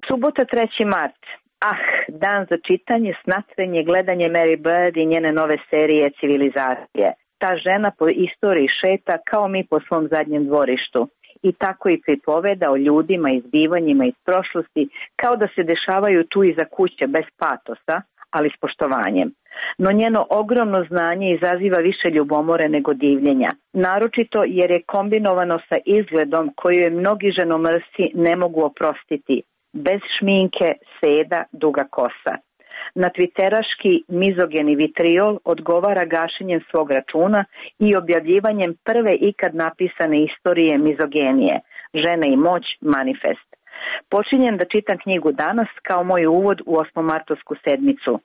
Subota treći mart. Ah, dan za čitanje, snatrenje, gledanje Mary Bird i njene nove serije Civilizacije. Ta žena po istoriji šeta kao mi po svom zadnjem dvorištu. I tako i pripoveda o ljudima i zbivanjima iz prošlosti kao da se dešavaju tu iza kuće bez patosa, ali s poštovanjem. No njeno ogromno znanje izaziva više ljubomore nego divljenja. Naročito jer je kombinovano sa izgledom koju je mnogi ženomrsci ne mogu oprostiti. Bez šminke, seda, duga kosa. Na twitteraški mizogeni vitriol odgovara gašenjem svog računa i objavljivanjem prve ikad napisane istorije mizogenije, Žene i moć, manifest. Počinjem da čitam knjigu danas kao moj uvod u osmomartovsku sedmicu.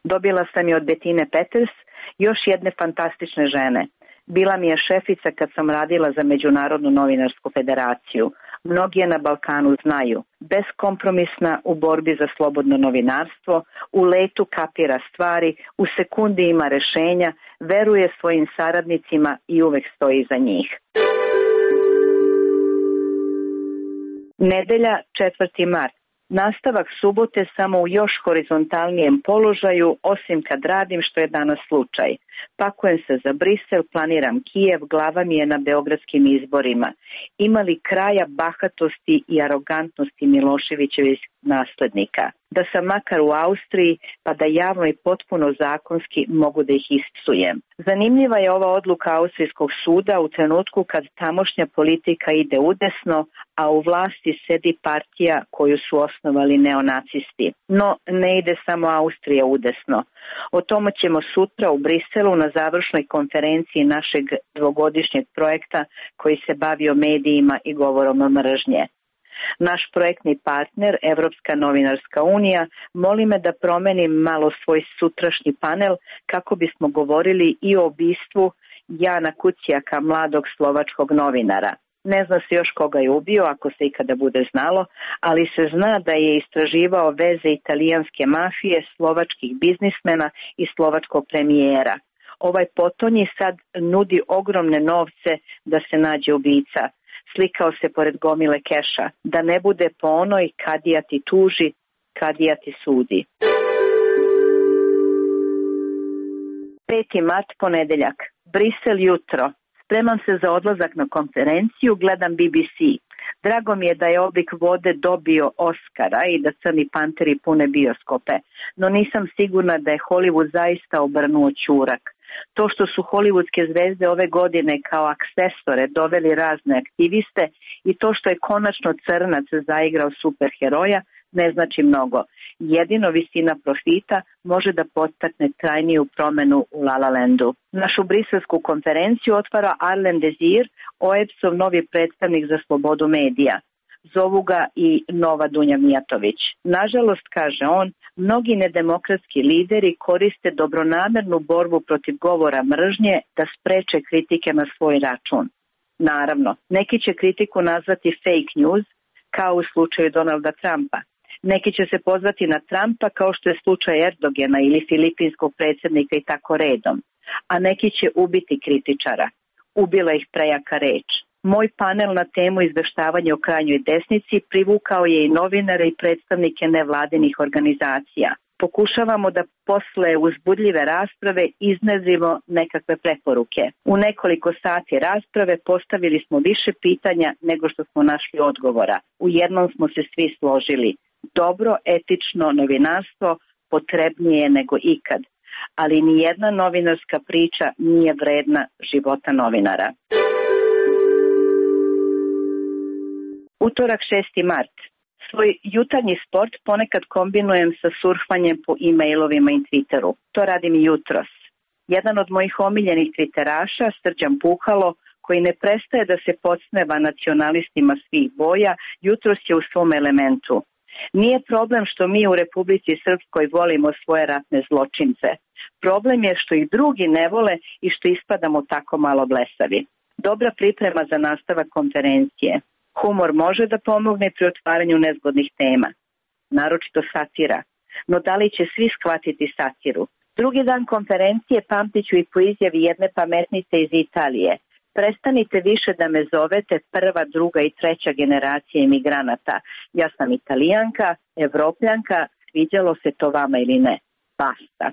Dobila sam je od Bettine Peters, još jedne fantastične žene. Bila mi je šefica kad sam radila za Međunarodnu novinarsku federaciju. Mnogi je na Balkanu znaju. Beskompromisna u borbi za slobodno novinarstvo, u letu kapira stvari, u sekundi ima rešenja, veruje svojim saradnicima i uvek stoji iza njih. Nedelja, četvrti mart. Nastavak subote samo u još horizontalnijem položaju, osim kad radim, što je danas slučaj. Pakujem se za Brisel, planiram Kijev, glava mi je na beogradskim izborima. Ima li kraja bahatosti i arogantnosti Miloševićevih naslednika? Da sam makar u Austriji, pa da javno i potpuno zakonski mogu da ih ispsujem. Zanimljiva je ova odluka Austrijskog suda u trenutku kad tamošnja politika ide udesno, a u vlasti sedi partija koju su osnovali neonacisti. No, ne ide samo Austrija udesno. O tome ćemo sutra u Briselu na završnoj konferenciji našeg dvogodišnjeg projekta koji se bavio medijima i govorom mržnje. Naš projektni partner, Evropska novinarska unija, moli me da promenim malo svoj sutrašnji panel kako bismo govorili i o ubistvu Jana Kucijaka, mladog slovačkog novinara. Ne zna se još koga je ubio, ako se ikada bude znalo, ali se zna da je istraživao veze italijanske mafije, slovačkih biznismena i slovačkog premijera. Ovaj potonji sad nudi ogromne novce da se nađe ubica. Slikao se pored gomile keša. Da ne bude po onoj kadija ti tuži, kadija ti sudi. peti mart, ponedeljak. Brisel jutro. Spremam se za odlazak na konferenciju, gledam B B C. Drago mi je da je Oblik vode dobio Oskara i da Crni panteri pune bioskope, no nisam sigurna da je Hollywood zaista obrnuo ćurak. To što su hollywoodske zvezde ove godine kao aksesore doveli razne aktiviste i to što je konačno Crnac zaigrao superheroja ne znači mnogo. Jedino visina profita može da podstakne trajniju promenu u La La Landu. Našu briselsku konferenciju otvara Arlen Desir, O E B S-ov novi predstavnik za slobodu medija. Zovu ga i Nova Dunja Mijatović. Nažalost, kaže on, mnogi nedemokratski lideri koriste dobronamernu borbu protiv govora mržnje da spreče kritike na svoj račun. Naravno, neki će kritiku nazvati fake news, kao u slučaju Donalda Trumpa. Neki će se pozvati na Trumpa kao što je slučaj Erdogena ili filipinskog predsjednika i tako redom. A neki će ubiti kritičara. Ubila ih prejaka reč. Moj panel na temu izveštavanja o krajnjoj desnici privukao je i novinare i predstavnike nevladinih organizacija. Pokušavamo da posle uzbudljive rasprave iznezimo nekakve preporuke. U nekoliko sati rasprave postavili smo više pitanja nego što smo našli odgovora. U jednom smo se svi složili. Dobro, etično novinarstvo potrebnije je nego ikad. Ali nijedna novinarska priča nije vredna života novinara. Utorak, šesti mart. Svoj jutarnji sport ponekad kombinujem sa surfanjem po e-mailovima i Twitteru. To radim i jutros. Jedan od mojih omiljenih twitteraša, Srđan Puhalo, koji ne prestaje da se podsmeva nacionalistima svih boja, jutros je u svom elementu. Nije problem što mi u Republici Srpskoj volimo svoje ratne zločince. Problem je što ih drugi ne vole i što ispadamo tako malo blesavi. Dobra priprema za nastavak konferencije. Humor može da pomogne pri otvaranju nezgodnih tema, naročito satira. No da li će svi shvatiti satiru? Drugi dan konferencije pamtit ću i po izjavi jedne pametnice iz Italije. Prestanite više da me zovete prva, druga i treća generacija imigranata. Ja sam Italijanka, Evropljanka, sviđalo se to vama ili ne. Basta.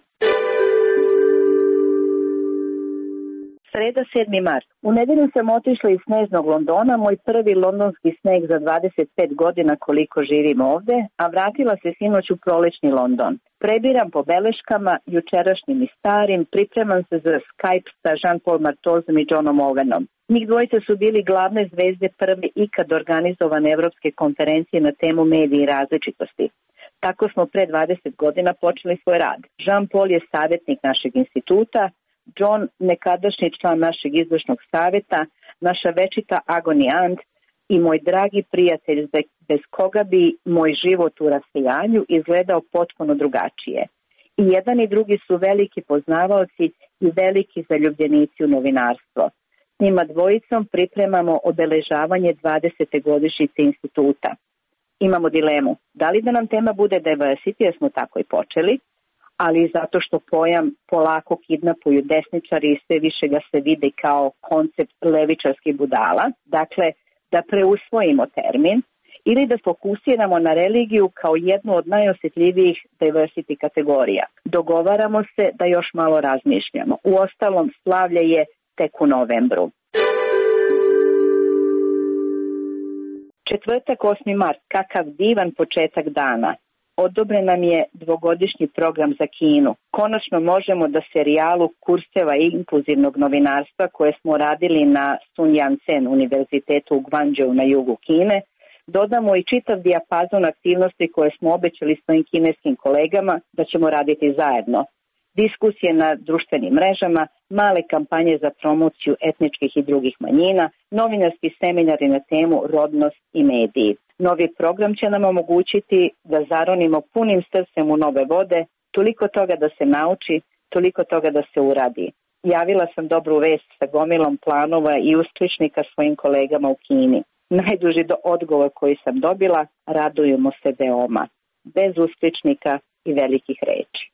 Sreda, sedmi mart. U nedelju sam otišla iz sneznog Londona, moj prvi londonski sneg za dvadeset pet godina koliko živim ovde, a vratila se sinoć u prolećni London. Prebiram po beleškama, jučerašnjim i starim, pripremam se za Skype sa Jean-Paul Martozom i Johnom Owenom. Njih dvojice su bili glavne zvezde prve ikad organizovane evropske konferencije na temu mediji i različitosti. Tako smo pre dvadeset godina počeli svoj rad. Jean-Paul je savjetnik našeg instituta, John, nekadašnji član našeg izvršnog savjeta, naša večita agonijant i moj dragi prijatelj bez koga bi moj život u rasejanju izgledao potpuno drugačije. I jedan i drugi su veliki poznavaoci i veliki zaljubljenici u novinarstvo. S njima dvojicom pripremamo obeležavanje dvadesete godišnjice instituta. Imamo dilemu, da li da nam tema bude diversity, jer smo tako i počeli, ali zato što pojam polako kidnapuju desničari i sve više ga se vidi kao koncept levičarskih budala, dakle da preusvojimo termin ili da fokusiramo na religiju kao jednu od najosjetljivijih diversity kategorija. Dogovaramo se da još malo razmišljamo. Uostalom, slavlje je tek u novembru. Četvrtak, osmi mart, kakav divan početak dana. Odobren nam je dvogodišnji program za Kinu. Konačno možemo da serijalu kurseva inkluzivnog novinarstva koje smo radili na Sun Yat-sen univerzitetu u Guangzhou na jugu Kine, dodamo i čitav dijapazon aktivnosti koje smo obećali svojim kineskim kolegama da ćemo raditi zajedno. Diskusije na društvenim mrežama, male kampanje za promociju etničkih i drugih manjina, novinarski seminari na temu rodnost i mediji. Novi program će nam omogućiti da zaronimo punim srcem u nove vode, toliko toga da se nauči, toliko toga da se uradi. Javila sam dobru vest sa gomilom planova i uskličnika svojim kolegama u Kini. Najduži do odgovor koji sam dobila, radujemo se veoma, bez uskličnika i velikih reči.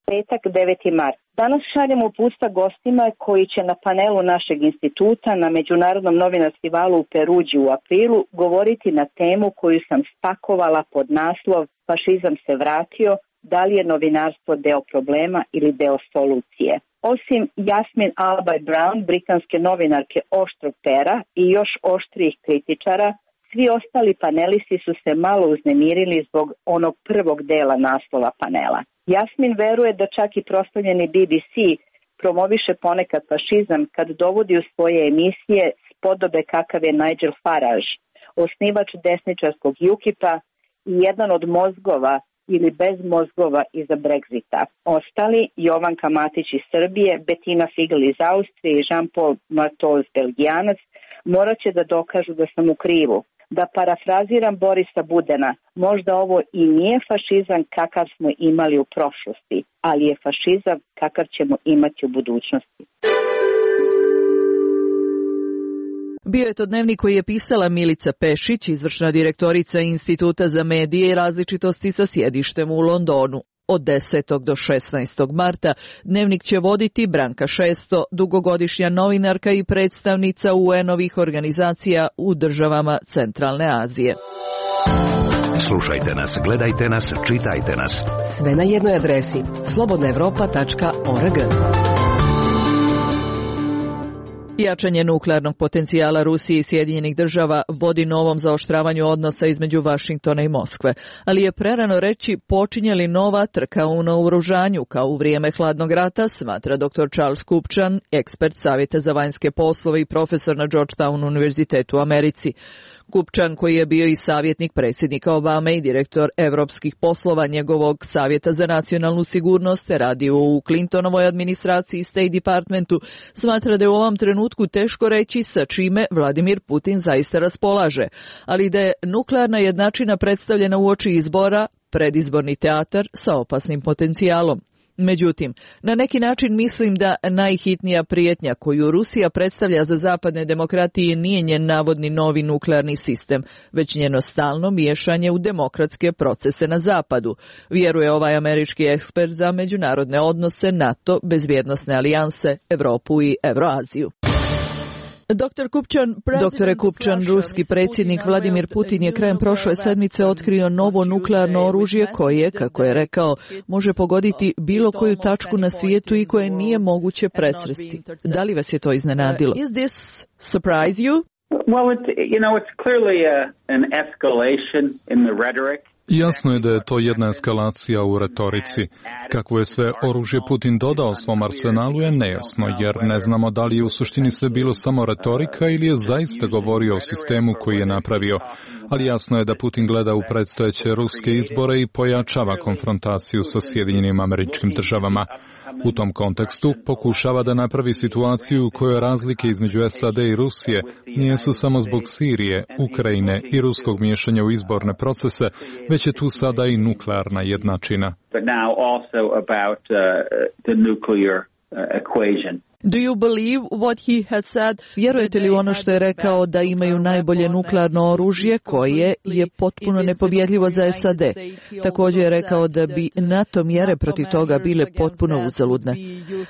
Petak, deveti mart. Danas šaljemo uputstva gostima koji će na panelu našeg instituta na Međunarodnom novinarstivalu u Peruđi u aprilu govoriti na temu koju sam spakovala pod naslov Fašizam se vratio, da li je novinarstvo deo problema ili deo solucije. Osim Jasmin Alby-Brown, britanske novinarke oštrog pera i još oštrijih kritičara, svi ostali panelisti su se malo uznemirili zbog onog prvog dela naslova panela. Jasmin veruje da čak i proslavljeni B B C promoviše ponekad fašizam kad dovodi u svoje emisije spodobe kakav je Nigel Farage, osnivač desničarskog UKIP-a i jedan od mozgova ili bez mozgova iza Brexita. Ostali, Jovanka Matić iz Srbije, Betina Figl iz Austrije i Jean-Paul Martoz, Belgijanac, morat će da dokažu da sam u krivu. Da parafraziram Borisa Budena, možda ovo i nije fašizam kakav smo imali u prošlosti, ali je fašizam kakav ćemo imati u budućnosti. Bio je to dnevnik koji je pisala Milica Pešić, izvršna direktorica Instituta za medije i različitosti sa sjedištem u Londonu. Od desetog do šesnaestog marta dnevnik će voditi Branka Šesto, dugogodišnja novinarka i predstavnica U N-ovih organizacija u državama Centralne Azije. Slušajte nas, gledajte nas, čitajte nas. Sve na jednoj adresi slobodna evropa tačka org. Jačanje nuklearnog potencijala Rusije i Sjedinjenih država vodi novom zaoštravanju odnosa između Vašingtona i Moskve, ali je prerano reći počinje li nova trka u naoružanju kao u vrijeme hladnog rata, smatra doktor Charles Kupčan, ekspert Savjeta za vanjske poslove i profesor na Georgetown univerzitetu u Americi. Kupčan, koji je bio i savjetnik predsjednika Obame i direktor evropskih poslova njegovog Savjeta za nacionalnu sigurnost, radio u Clintonovoj administraciji i State Departmentu, smatra da je u ovom trenutku teško reći sa čime Vladimir Putin zaista raspolaže, ali da je nuklearna jednačina predstavljena uoči izbora predizborni teatar sa opasnim potencijalom. Međutim, na neki način mislim da najhitnija prijetnja koju Rusija predstavlja za zapadne demokratije nije njen navodni novi nuklearni sistem, već njeno stalno miješanje u demokratske procese na zapadu, vjeruje ovaj američki ekspert za međunarodne odnose, NATO, bezbjednosne alijanse, Europu i Euroaziju. Doktor Kupčan, Doktore Kupčan, ruski predsjednik Vladimir Putin je krajem prošle sedmice otkrio novo nuklearno oružje koje, kako je rekao, može pogoditi bilo koju tačku na svijetu i koje nije moguće presresti. Da li vas je to iznenadilo? Is this surprise you? Well, it, you know, it's clearly a, an escalation in the rhetoric. Jasno je da je to jedna eskalacija u retorici. Kako je sve oružje Putin dodao svom arsenalu je nejasno, jer ne znamo da li je u suštini sve bilo samo retorika ili je zaista govorio o sistemu koji je napravio. Ali jasno je da Putin gleda u predstojeće ruske izbore i pojačava konfrontaciju sa Sjedinjenim Američkim Državama. U tom kontekstu pokušava da napravi situaciju u kojoj razlike između S A D i Rusije nisu samo zbog Sirije, Ukrajine i ruskog miješanja u izborne procese, već je tu sada i nuklearna jednačina. But now also about uh, the nuclear uh, equation. Do you believe what he has said? Vjerujete li u ono što je rekao da imaju najbolje nuklearno oružje koje je potpuno nepobjedljivo za S A D? Također je rekao da bi NATO mjere protiv toga bile potpuno uzaludne.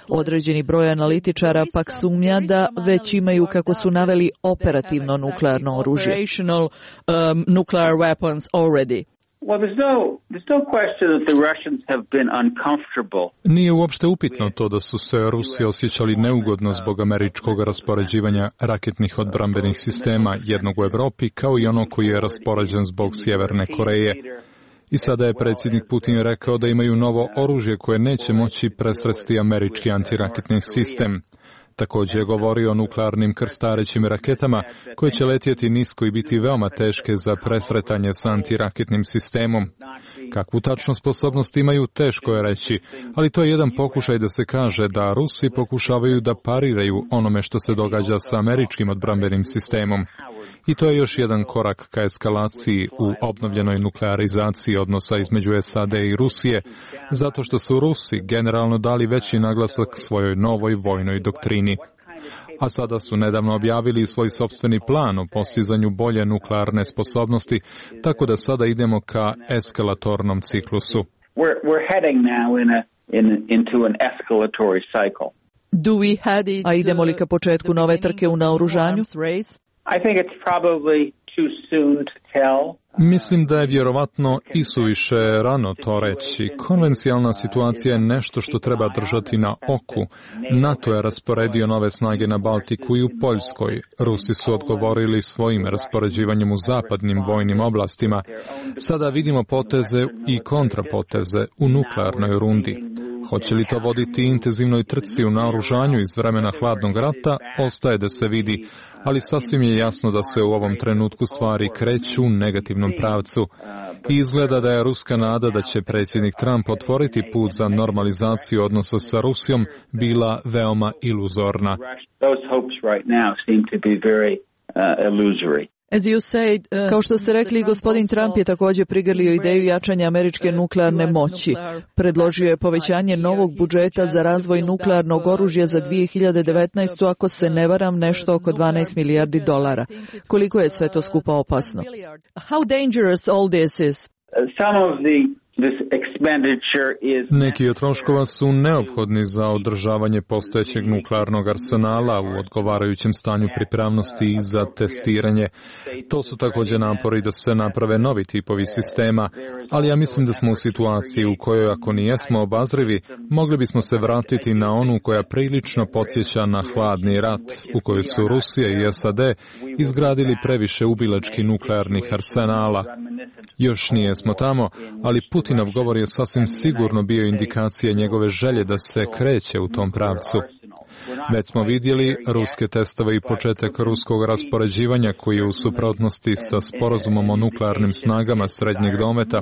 Određeni broj analitičara pak sumnja da već imaju, kako su naveli, operativno nuklearno oružje. Um, nuclear weapons already. Well, there's no, there's no question that the Russians have been uncomfortable. Nije uopšte upitno to da su se Rusi osjećali neugodno zbog američkog raspoređivanja raketnih odbrambenih sistema, jednog u Evropi kao i ono koji je raspoređen zbog Sjeverne Koreje. I sada je predsjednik Putin rekao da imaju novo oružje koje neće moći presresti američki antiraketni sistem. Također je govorio o nuklearnim krstarećim raketama koje će letjeti nisko i biti veoma teške za presretanje s antiraketnim sistemom. Kakvu tačno sposobnost imaju, teško je reći, ali to je jedan pokušaj da se kaže da Rusi pokušavaju da pariraju onome što se događa sa američkim odbrambenim sistemom. I to je još jedan korak ka eskalaciji u obnovljenoj nuklearizaciji odnosa između S A D i Rusije, zato što su Rusi generalno dali veći naglasak svojoj novoj vojnoj doktrini. A sada su nedavno objavili svoj sopstveni plan o postizanju bolje nuklearne sposobnosti, tako da sada idemo ka eskalatornom ciklusu. We're, we're heading now in a in, into an escalatory cycle. Do we head it, a idemo li ka početku nove trke u naoružanju? I think it's probably too soon to tell. Mislim da je vjerovatno isuviše rano to reći. Konvencijalna situacija je nešto što treba držati na oku. NATO je rasporedio nove snage na Baltiku i u Poljskoj. Rusi su odgovorili svojim raspoređivanjem u zapadnim vojnim oblastima. Sada vidimo poteze i kontrapoteze u nuklearnoj rundi. Hoće li to voditi intenzivnoj trci u naoružanju iz vremena hladnog rata, ostaje da se vidi, ali sasvim je jasno da se u ovom trenutku stvari kreću u negativnom pravcu. I izgleda da je ruska nada da će predsjednik Trump otvoriti put za normalizaciju odnosa sa Rusijom bila veoma iluzorna. Those hopes right now seem to be very uh, illusory. As you said, uh, kao što ste rekli, gospodin Trump je također prigrlio ideju jačanja američke nuklearne moći. Predložio je povećanje novog budžeta za razvoj nuklearnog oružja za dvije hiljade devetnaestu. ako se ne varam, nešto oko dvanaest milijardi dolara. Koliko je sve to skupa opasno? How dangerous all this is? Some of the Neki od troškova su neophodni za održavanje postojećeg nuklearnog arsenala u odgovarajućem stanju pripravnosti i za testiranje. To su također napori da se naprave novi tipovi sistema, ali ja mislim da smo u situaciji u kojoj ako nijesmo obazrivi, mogli bismo se vratiti na onu koja prilično podsjeća na hladni rat, u kojoj su Rusija i S A D izgradili previše ubilačkih nuklearnih arsenala. Još nijesmo tamo, ali Putinov govor je sasvim sigurno bio indikacija njegove želje da se kreće u tom pravcu. Već smo vidjeli ruske testove i početak ruskog raspoređivanja koji je u suprotnosti sa sporazumom o nuklearnim snagama srednjeg dometa.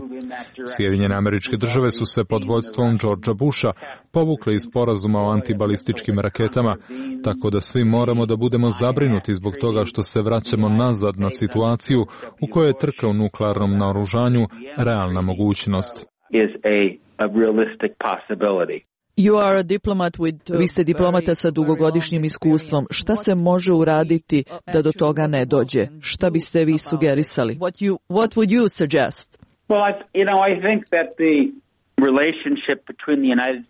Sjedinjene Američke Države su se pod vodstvom Georgea Busha povukle iz sporazuma o antibalističkim raketama, tako da svi moramo da budemo zabrinuti zbog toga što se vraćamo nazad na situaciju u kojoj je trka u nuklearnom naoružanju realna mogućnost. You are a diplomat with, vi ste diplomata sa dugogodišnjim iskustvom. Šta se može uraditi da do toga ne dođe? Šta biste vi sugerisali? What you, what would you suggest? Well, I, you know, I think that the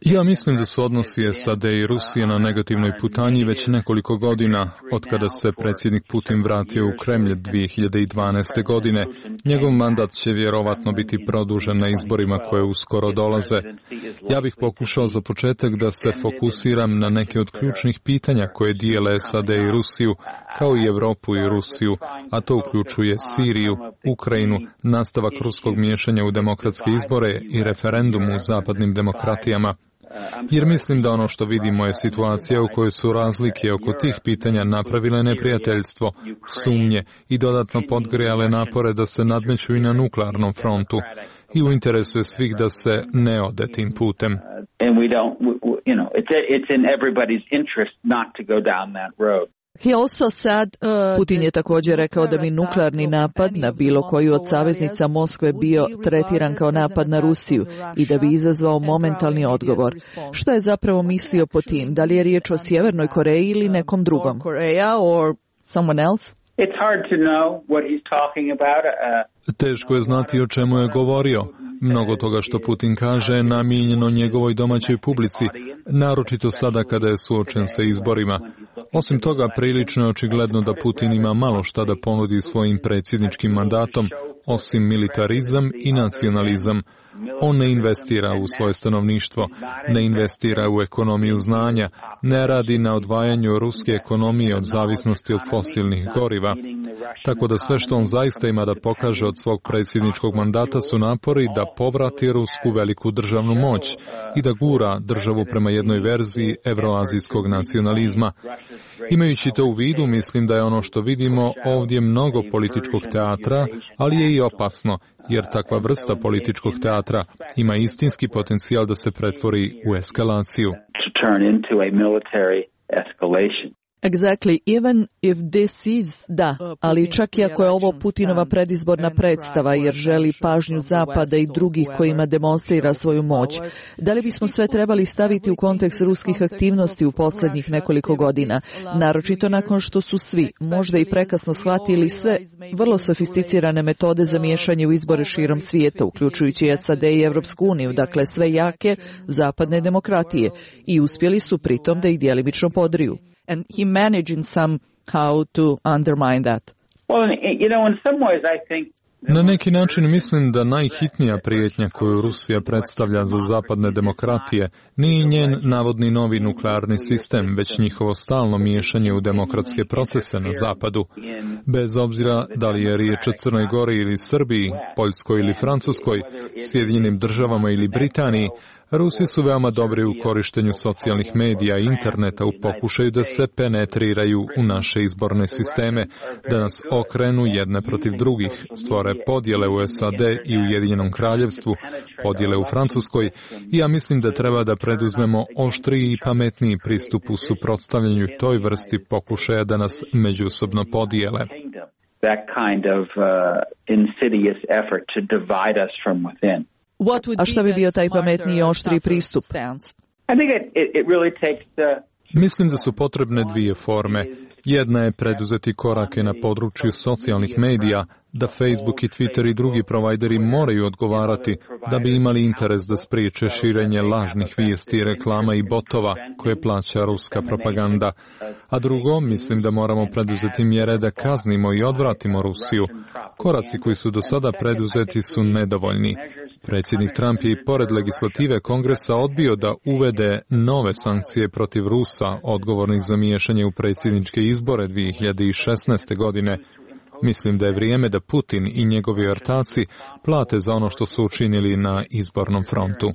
Ja mislim da su odnosi S A D i Rusije na negativnoj putanji već nekoliko godina, od kada se predsjednik Putin vratio u Kremlj dvije hiljade dvanaeste. godine. Njegov mandat će vjerovatno biti produžen na izborima koje uskoro dolaze. Ja bih pokušao za početak da se fokusiram na neke od ključnih pitanja koje dijele S A D i Rusiju, kao i Europu i Rusiju, a to uključuje Siriju, Ukrajinu, nastavak ruskog miješanja u demokratske izbore i referendum u zapadnim demokratijama. Jer mislim da ono što vidimo je situacija u kojoj su razlike oko tih pitanja napravile neprijateljstvo, sumnje i dodatno podgrijale napore da se nadmeću i na nuklearnom frontu. I u interesu je svih da se ne ode tim putem. He also said, uh, Putin je također rekao da bi nuklearni napad na bilo koju od saveznica Moskve bio tretiran kao napad na Rusiju i da bi izazvao momentalni odgovor. Što je zapravo mislio po tim? Da li je riječ o Sjevernoj Koreji ili nekom drugom? Koreja or someone else? It's hard to know what he's talking about. Uh, Teško je znati o čemu je govorio. Mnogo toga što Putin kaže je namijenjeno njegovoj domaćoj publici, naročito sada kada je suočen sa izborima. Osim toga, prilično je očigledno da Putin ima malo šta da ponudi svojim predsjedničkim mandatom, osim militarizam i nacionalizam. On ne investira u svoje stanovništvo, ne investira u ekonomiju znanja, ne radi na odvajanju ruske ekonomije od zavisnosti od fosilnih goriva. Tako da sve što on zaista ima da pokaže od svog predsjedničkog mandata su napori da povrati rusku veliku državnu moć i da gura državu prema jednoj verziji evroazijskog nacionalizma. Imajući to u vidu, mislim da je ono što vidimo ovdje mnogo političkog teatra, ali je i opasno, jer takva vrsta političkog teatra ima istinski potencijal da se pretvori u eskalaciju. Exactly, even if this is, da, ali čak i ako je ovo Putinova predizborna predstava jer želi pažnju Zapada i drugih kojima demonstrira svoju moć, da li bismo sve trebali staviti u kontekst ruskih aktivnosti u posljednjih nekoliko godina, naročito nakon što su svi, možda i prekasno shvatili sve vrlo sofisticirane metode za miješanje u izbore širom svijeta, uključujući S A D i Evropsku uniju, dakle sve jake zapadne demokratije, i uspjeli su pritom da ih djelimično podriju. And he managed in somehow to undermine that. Well, you know, in some ways I think Na neki način mislim da najhitnija prijetnja koju Rusija predstavlja za zapadne demokratije nije njen navodni novi nuklearni sistem, već njihovo stalno miješanje u demokratske procese na zapadu. Bez obzira da li je riječ o Crnoj Gori ili Srbiji, Poljskoj ili Francuskoj, Sjedinjenim državama ili Britaniji, Rusi su veoma dobri u korištenju socijalnih medija i interneta u pokušaju da se penetriraju u naše izborne sisteme, da nas okrenu jedne protiv drugih, stvore podjele u S A D i Ujedinjenom kraljevstvu, podjele u Francuskoj, i ja mislim da treba da preduzmemo oštriji i pametniji pristup u suprotstavljanju toj vrsti pokušaja da nas međusobno podijele. That kind of uh, insidious effort to divide us from within. A šta bi bio taj pametniji i oštriji pristup? Mislim da su potrebne dvije forme. Jedna je preduzeti korake na području socijalnih medija, da Facebook i Twitter i drugi provajderi moraju odgovarati da bi imali interes da spriječe širenje lažnih vijesti, reklama i botova koje plaća ruska propaganda. A drugo, mislim da moramo preduzeti mjere da kaznimo i odvratimo Rusiju. Koraci koji su do sada preduzeti su nedovoljni. Predsjednik Trump je i pored legislative Kongresa odbio da uvede nove sankcije protiv Rusa, odgovornih za miješanje u predsjedničke izbore dvije hiljade šesnaeste. godine. Mislim da je vrijeme da Putin i njegovi ortaci plate za ono što su učinili na izbornom frontu.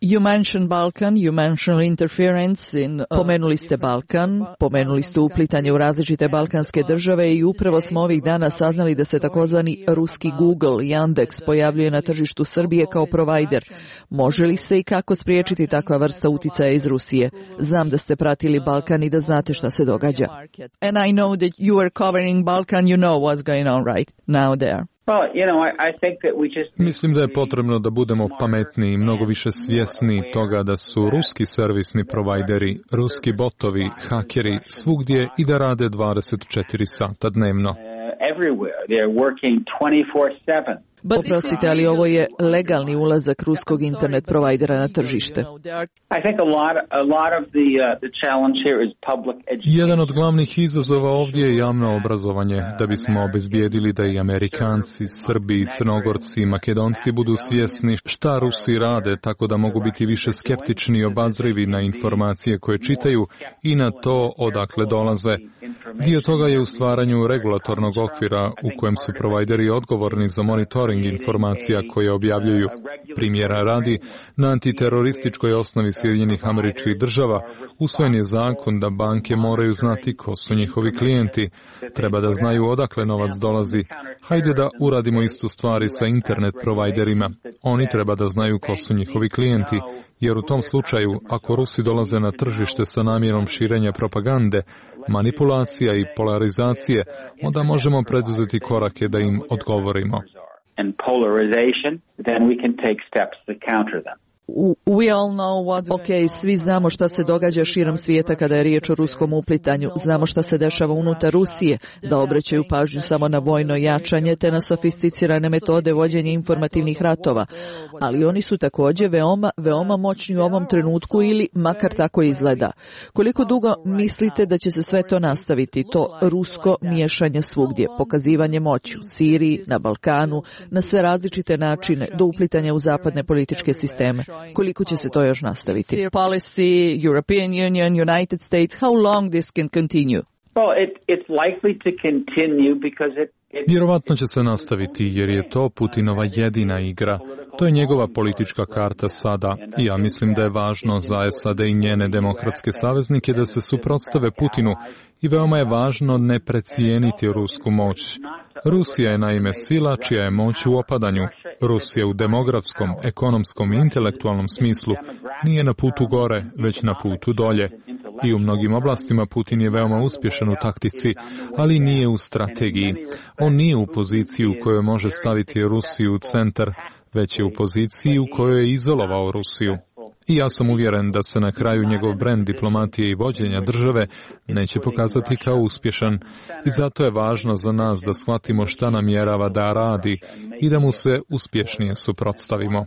You mentioned Balkan, you mentioned interference in... Pomenuli ste Balkan, pomenuli ste uplitanje u različite balkanske države i upravo smo ovih dana saznali da se takozvani ruski Google, Yandex, pojavljuje na tržištu Srbije kao provajder. Može li se i kako spriječiti takva vrsta uticaja iz Rusije? Znam da ste pratili Balkan i da znate šta se događa. And I know that you are covering Balkan, you know what's going on right now there. Mislim da je potrebno da budemo pametniji i mnogo više svjesni toga da su ruski servisni provajderi, ruski botovi, hakeri svugdje i da rade dvadeset četiri sata dnevno. Oprostite, ali ovo je legalni ulazak ruskog internet provajdera na tržište. Jedan od glavnih izazova ovdje je javno obrazovanje, da bismo obezbijedili da i Amerikanci, Srbi, Crnogorci i Makedonci budu svjesni šta Rusi rade, tako da mogu biti više skeptični i obazrivi na informacije koje čitaju i na to odakle dolaze. Dio toga je u stvaranju regulatornog okvira u kojem su provajderi odgovorni za monitoring informacija koje objavljuju. Primjera radi, na antiterorističkoj osnovi Sjedinjenih Američkih Država usvojen je zakon da banke moraju znati ko su njihovi klijenti. Treba da znaju odakle novac dolazi. Hajde da uradimo istu stvari sa internet provajderima. Oni treba da znaju ko su njihovi klijenti, jer u tom slučaju, ako Rusi dolaze na tržište sa namjerom širenja propagande, manipulacija i polarizacije, onda možemo preduzeti korake da im odgovorimo. And polarization, then we can take steps to counter them. We all know what... Ok, svi znamo šta se događa širom svijeta kada je riječ o ruskom uplitanju. Znamo šta se dešava unutar Rusije, da obraćaju pažnju samo na vojno jačanje te na sofisticirane metode vođenja informativnih ratova. Ali oni su također veoma, veoma moćni u ovom trenutku ili makar tako izgleda. Koliko dugo mislite da će se sve to nastaviti? To rusko miješanje svugdje, pokazivanje moći u Siriji, na Balkanu, na sve različite načine, do uplitanja u zapadne političke sisteme. Koliko će se to još nastaviti? Policy, European Union, United States, how long this can continue? Well, it, it's likely to continue because it Vjerovatno će se nastaviti jer je to Putinova jedina igra. To je njegova politička karta sada i ja mislim da je važno za S A D i njene demokratske saveznike da se suprotstave Putinu i veoma je važno ne precijeniti rusku moć. Rusija je naime sila čija je moć u opadanju. Rusija u demografskom, ekonomskom i intelektualnom smislu nije na putu gore, već na putu dolje. I u mnogim oblastima Putin je veoma uspješan u taktici, ali nije u strategiji. On nije u poziciji u kojoj može staviti Rusiju u centar, već je u poziciji u kojoj je izolovao Rusiju. I ja sam uvjeren da se na kraju njegov brend diplomatije i vođenja države neće pokazati kao uspješan. I zato je važno za nas da shvatimo šta namjerava da radi i da mu se uspješnije suprotstavimo.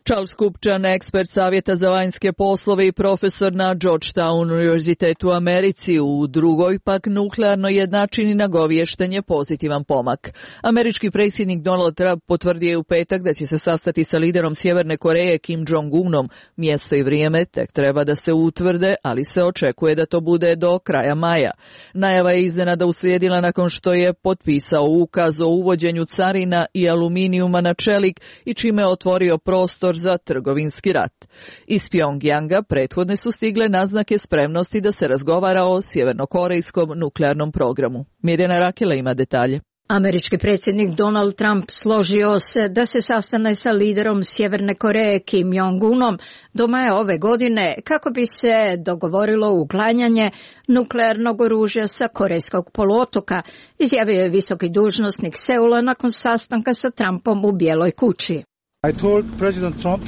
Charles Kupčan, ekspert Savjeta za vanjske poslove i profesor na Georgetown univerzitetu u Americi, u drugoj pak nuklearnoj jednačini nagovješten je pozitivan pomak. Američki predsjednik Donald Trump potvrdio je u petak da će se sastati sa liderom Sjeverne Koreje Kim Jong-unom. Mjesto i vrijeme tek treba da se utvrde, ali se očekuje da to bude do kraja maja. Najava je iznenada uslijedila nakon što je potpisao ukaz o uvođenju carina i aluminijuma na čelik i čime je otvorio prostor za trgovinski rat. Iz Pjongjanga prethodne su stigle naznake spremnosti da se razgovara o sjevernokorejskom nuklearnom programu. Mirjana Rakela ima detalje. Američki predsjednik Donald Trump složio se da se sastane sa liderom Sjeverne Koreje Kim Jong-unom do maja ove godine kako bi se dogovorilo uklanjanje nuklearnog oružja sa Korejskog poluotoka, izjavio je visoki dužnosnik Seula nakon sastanka sa Trumpom u Bijeloj kući.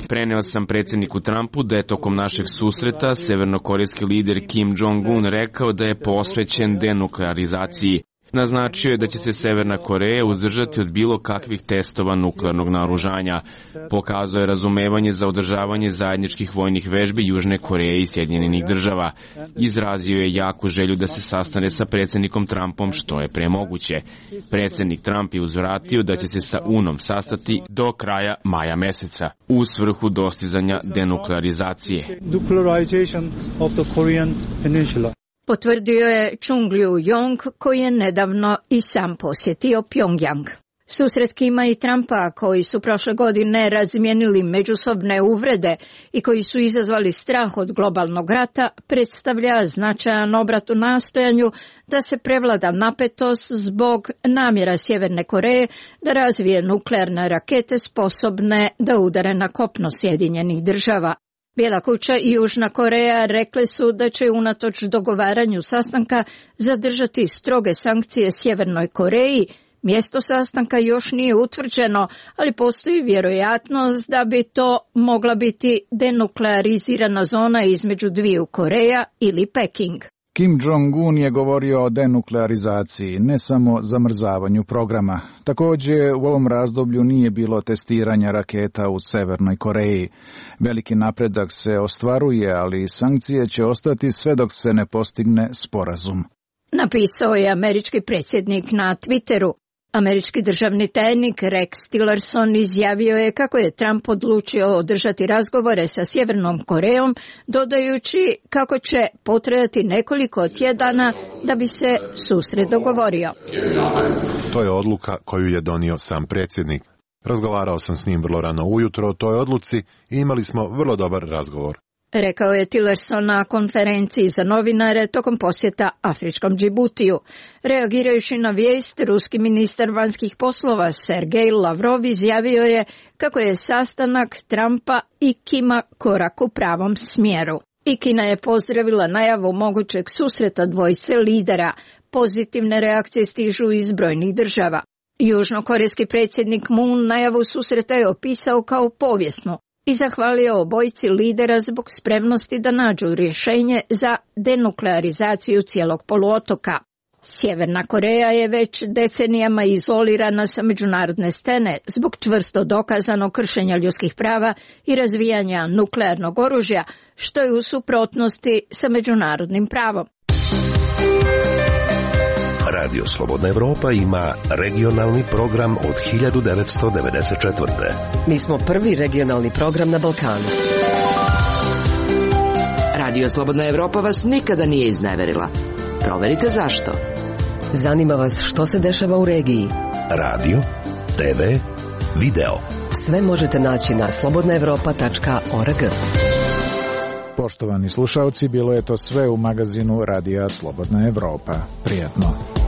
Preneo sam predsjedniku Trumpu da je tokom našeg susreta severnokorejski lider Kim Jong-un rekao da je posvećen denuklearizaciji. Naznačio je da će se Severna Koreja uzdržati od bilo kakvih testova nuklearnog naoružanja. Pokazao je razumevanje za održavanje zajedničkih vojnih vežbi Južne Koreje i Sjedinjenih država. Izrazio je jaku želju da se sastane sa predsjednikom Trumpom što je pre moguće. Predsjednik Trump je uzvratio da će se sa Unom sastati do kraja maja meseca u svrhu dostizanja denuklearizacije. Potvrdio je Chung Liu-yong koji je nedavno i sam posjetio Pjongjang. Susret Kima i Trumpa, koji su prošle godine razmijenili međusobne uvrede i koji su izazvali strah od globalnog rata, predstavlja značajan obrat u nastojanju da se prevlada napetost zbog namjera Sjeverne Koreje da razvije nuklearne rakete sposobne da udare na kopno Sjedinjenih država. Bijela kuća i Južna Koreja rekle su da će unatoč dogovaranju sastanka zadržati stroge sankcije Sjevernoj Koreji. Mjesto sastanka još nije utvrđeno, ali postoji vjerojatnost da bi to mogla biti denuklearizirana zona između dviju Koreja ili Peking. Kim Jong-un je govorio o denuklearizaciji, ne samo zamrzavanju programa. Također, u ovom razdoblju nije bilo testiranja raketa u Severnoj Koreji. Veliki napredak se ostvaruje, ali sankcije će ostati sve dok se ne postigne sporazum. Napisao je američki predsjednik na Twitteru. Američki državni tajnik Rex Tillerson izjavio je kako je Trump odlučio održati razgovore sa Sjevernom Korejom, dodajući kako će potrajati nekoliko tjedana da bi se susret dogovorio. To je odluka koju je donio sam predsjednik. Razgovarao sam s njim vrlo rano ujutro o toj odluci i imali smo vrlo dobar razgovor. Rekao je Tillerson na konferenciji za novinare tokom posjeta afričkom Džibutiju. Reagirajući na vijest, ruski ministar vanjskih poslova Sergej Lavrov izjavio je kako je sastanak Trumpa i Kima korak u pravom smjeru. I Kina je pozdravila najavu mogućeg susreta dvojice lidera. Pozitivne reakcije stižu iz brojnih država. Južnokorejski predsjednik Moon najavu susreta je opisao kao povijesnu i zahvalio obojici lidera zbog spremnosti da nađu rješenje za denuklearizaciju cijelog poluotoka. Sjeverna Koreja je već decenijama izolirana sa međunarodne scene zbog čvrsto dokazanog kršenja ljudskih prava i razvijanja nuklearnog oružja, što je u suprotnosti sa međunarodnim pravom. Radio Slobodna Evropa ima regionalni program od hiljadu devetsto devedeset četvrte. Mi smo prvi regionalni program na Balkanu. Radio Slobodna Evropa vas nikada nije izneverila. Proverite zašto. Zanima vas što se dešava u regiji. Radio, te ve, video. Sve možete naći na slobodna evropa tačka org. Poštovani slušalci, bilo je to sve u magazinu Radija Slobodna Evropa. Prijatno.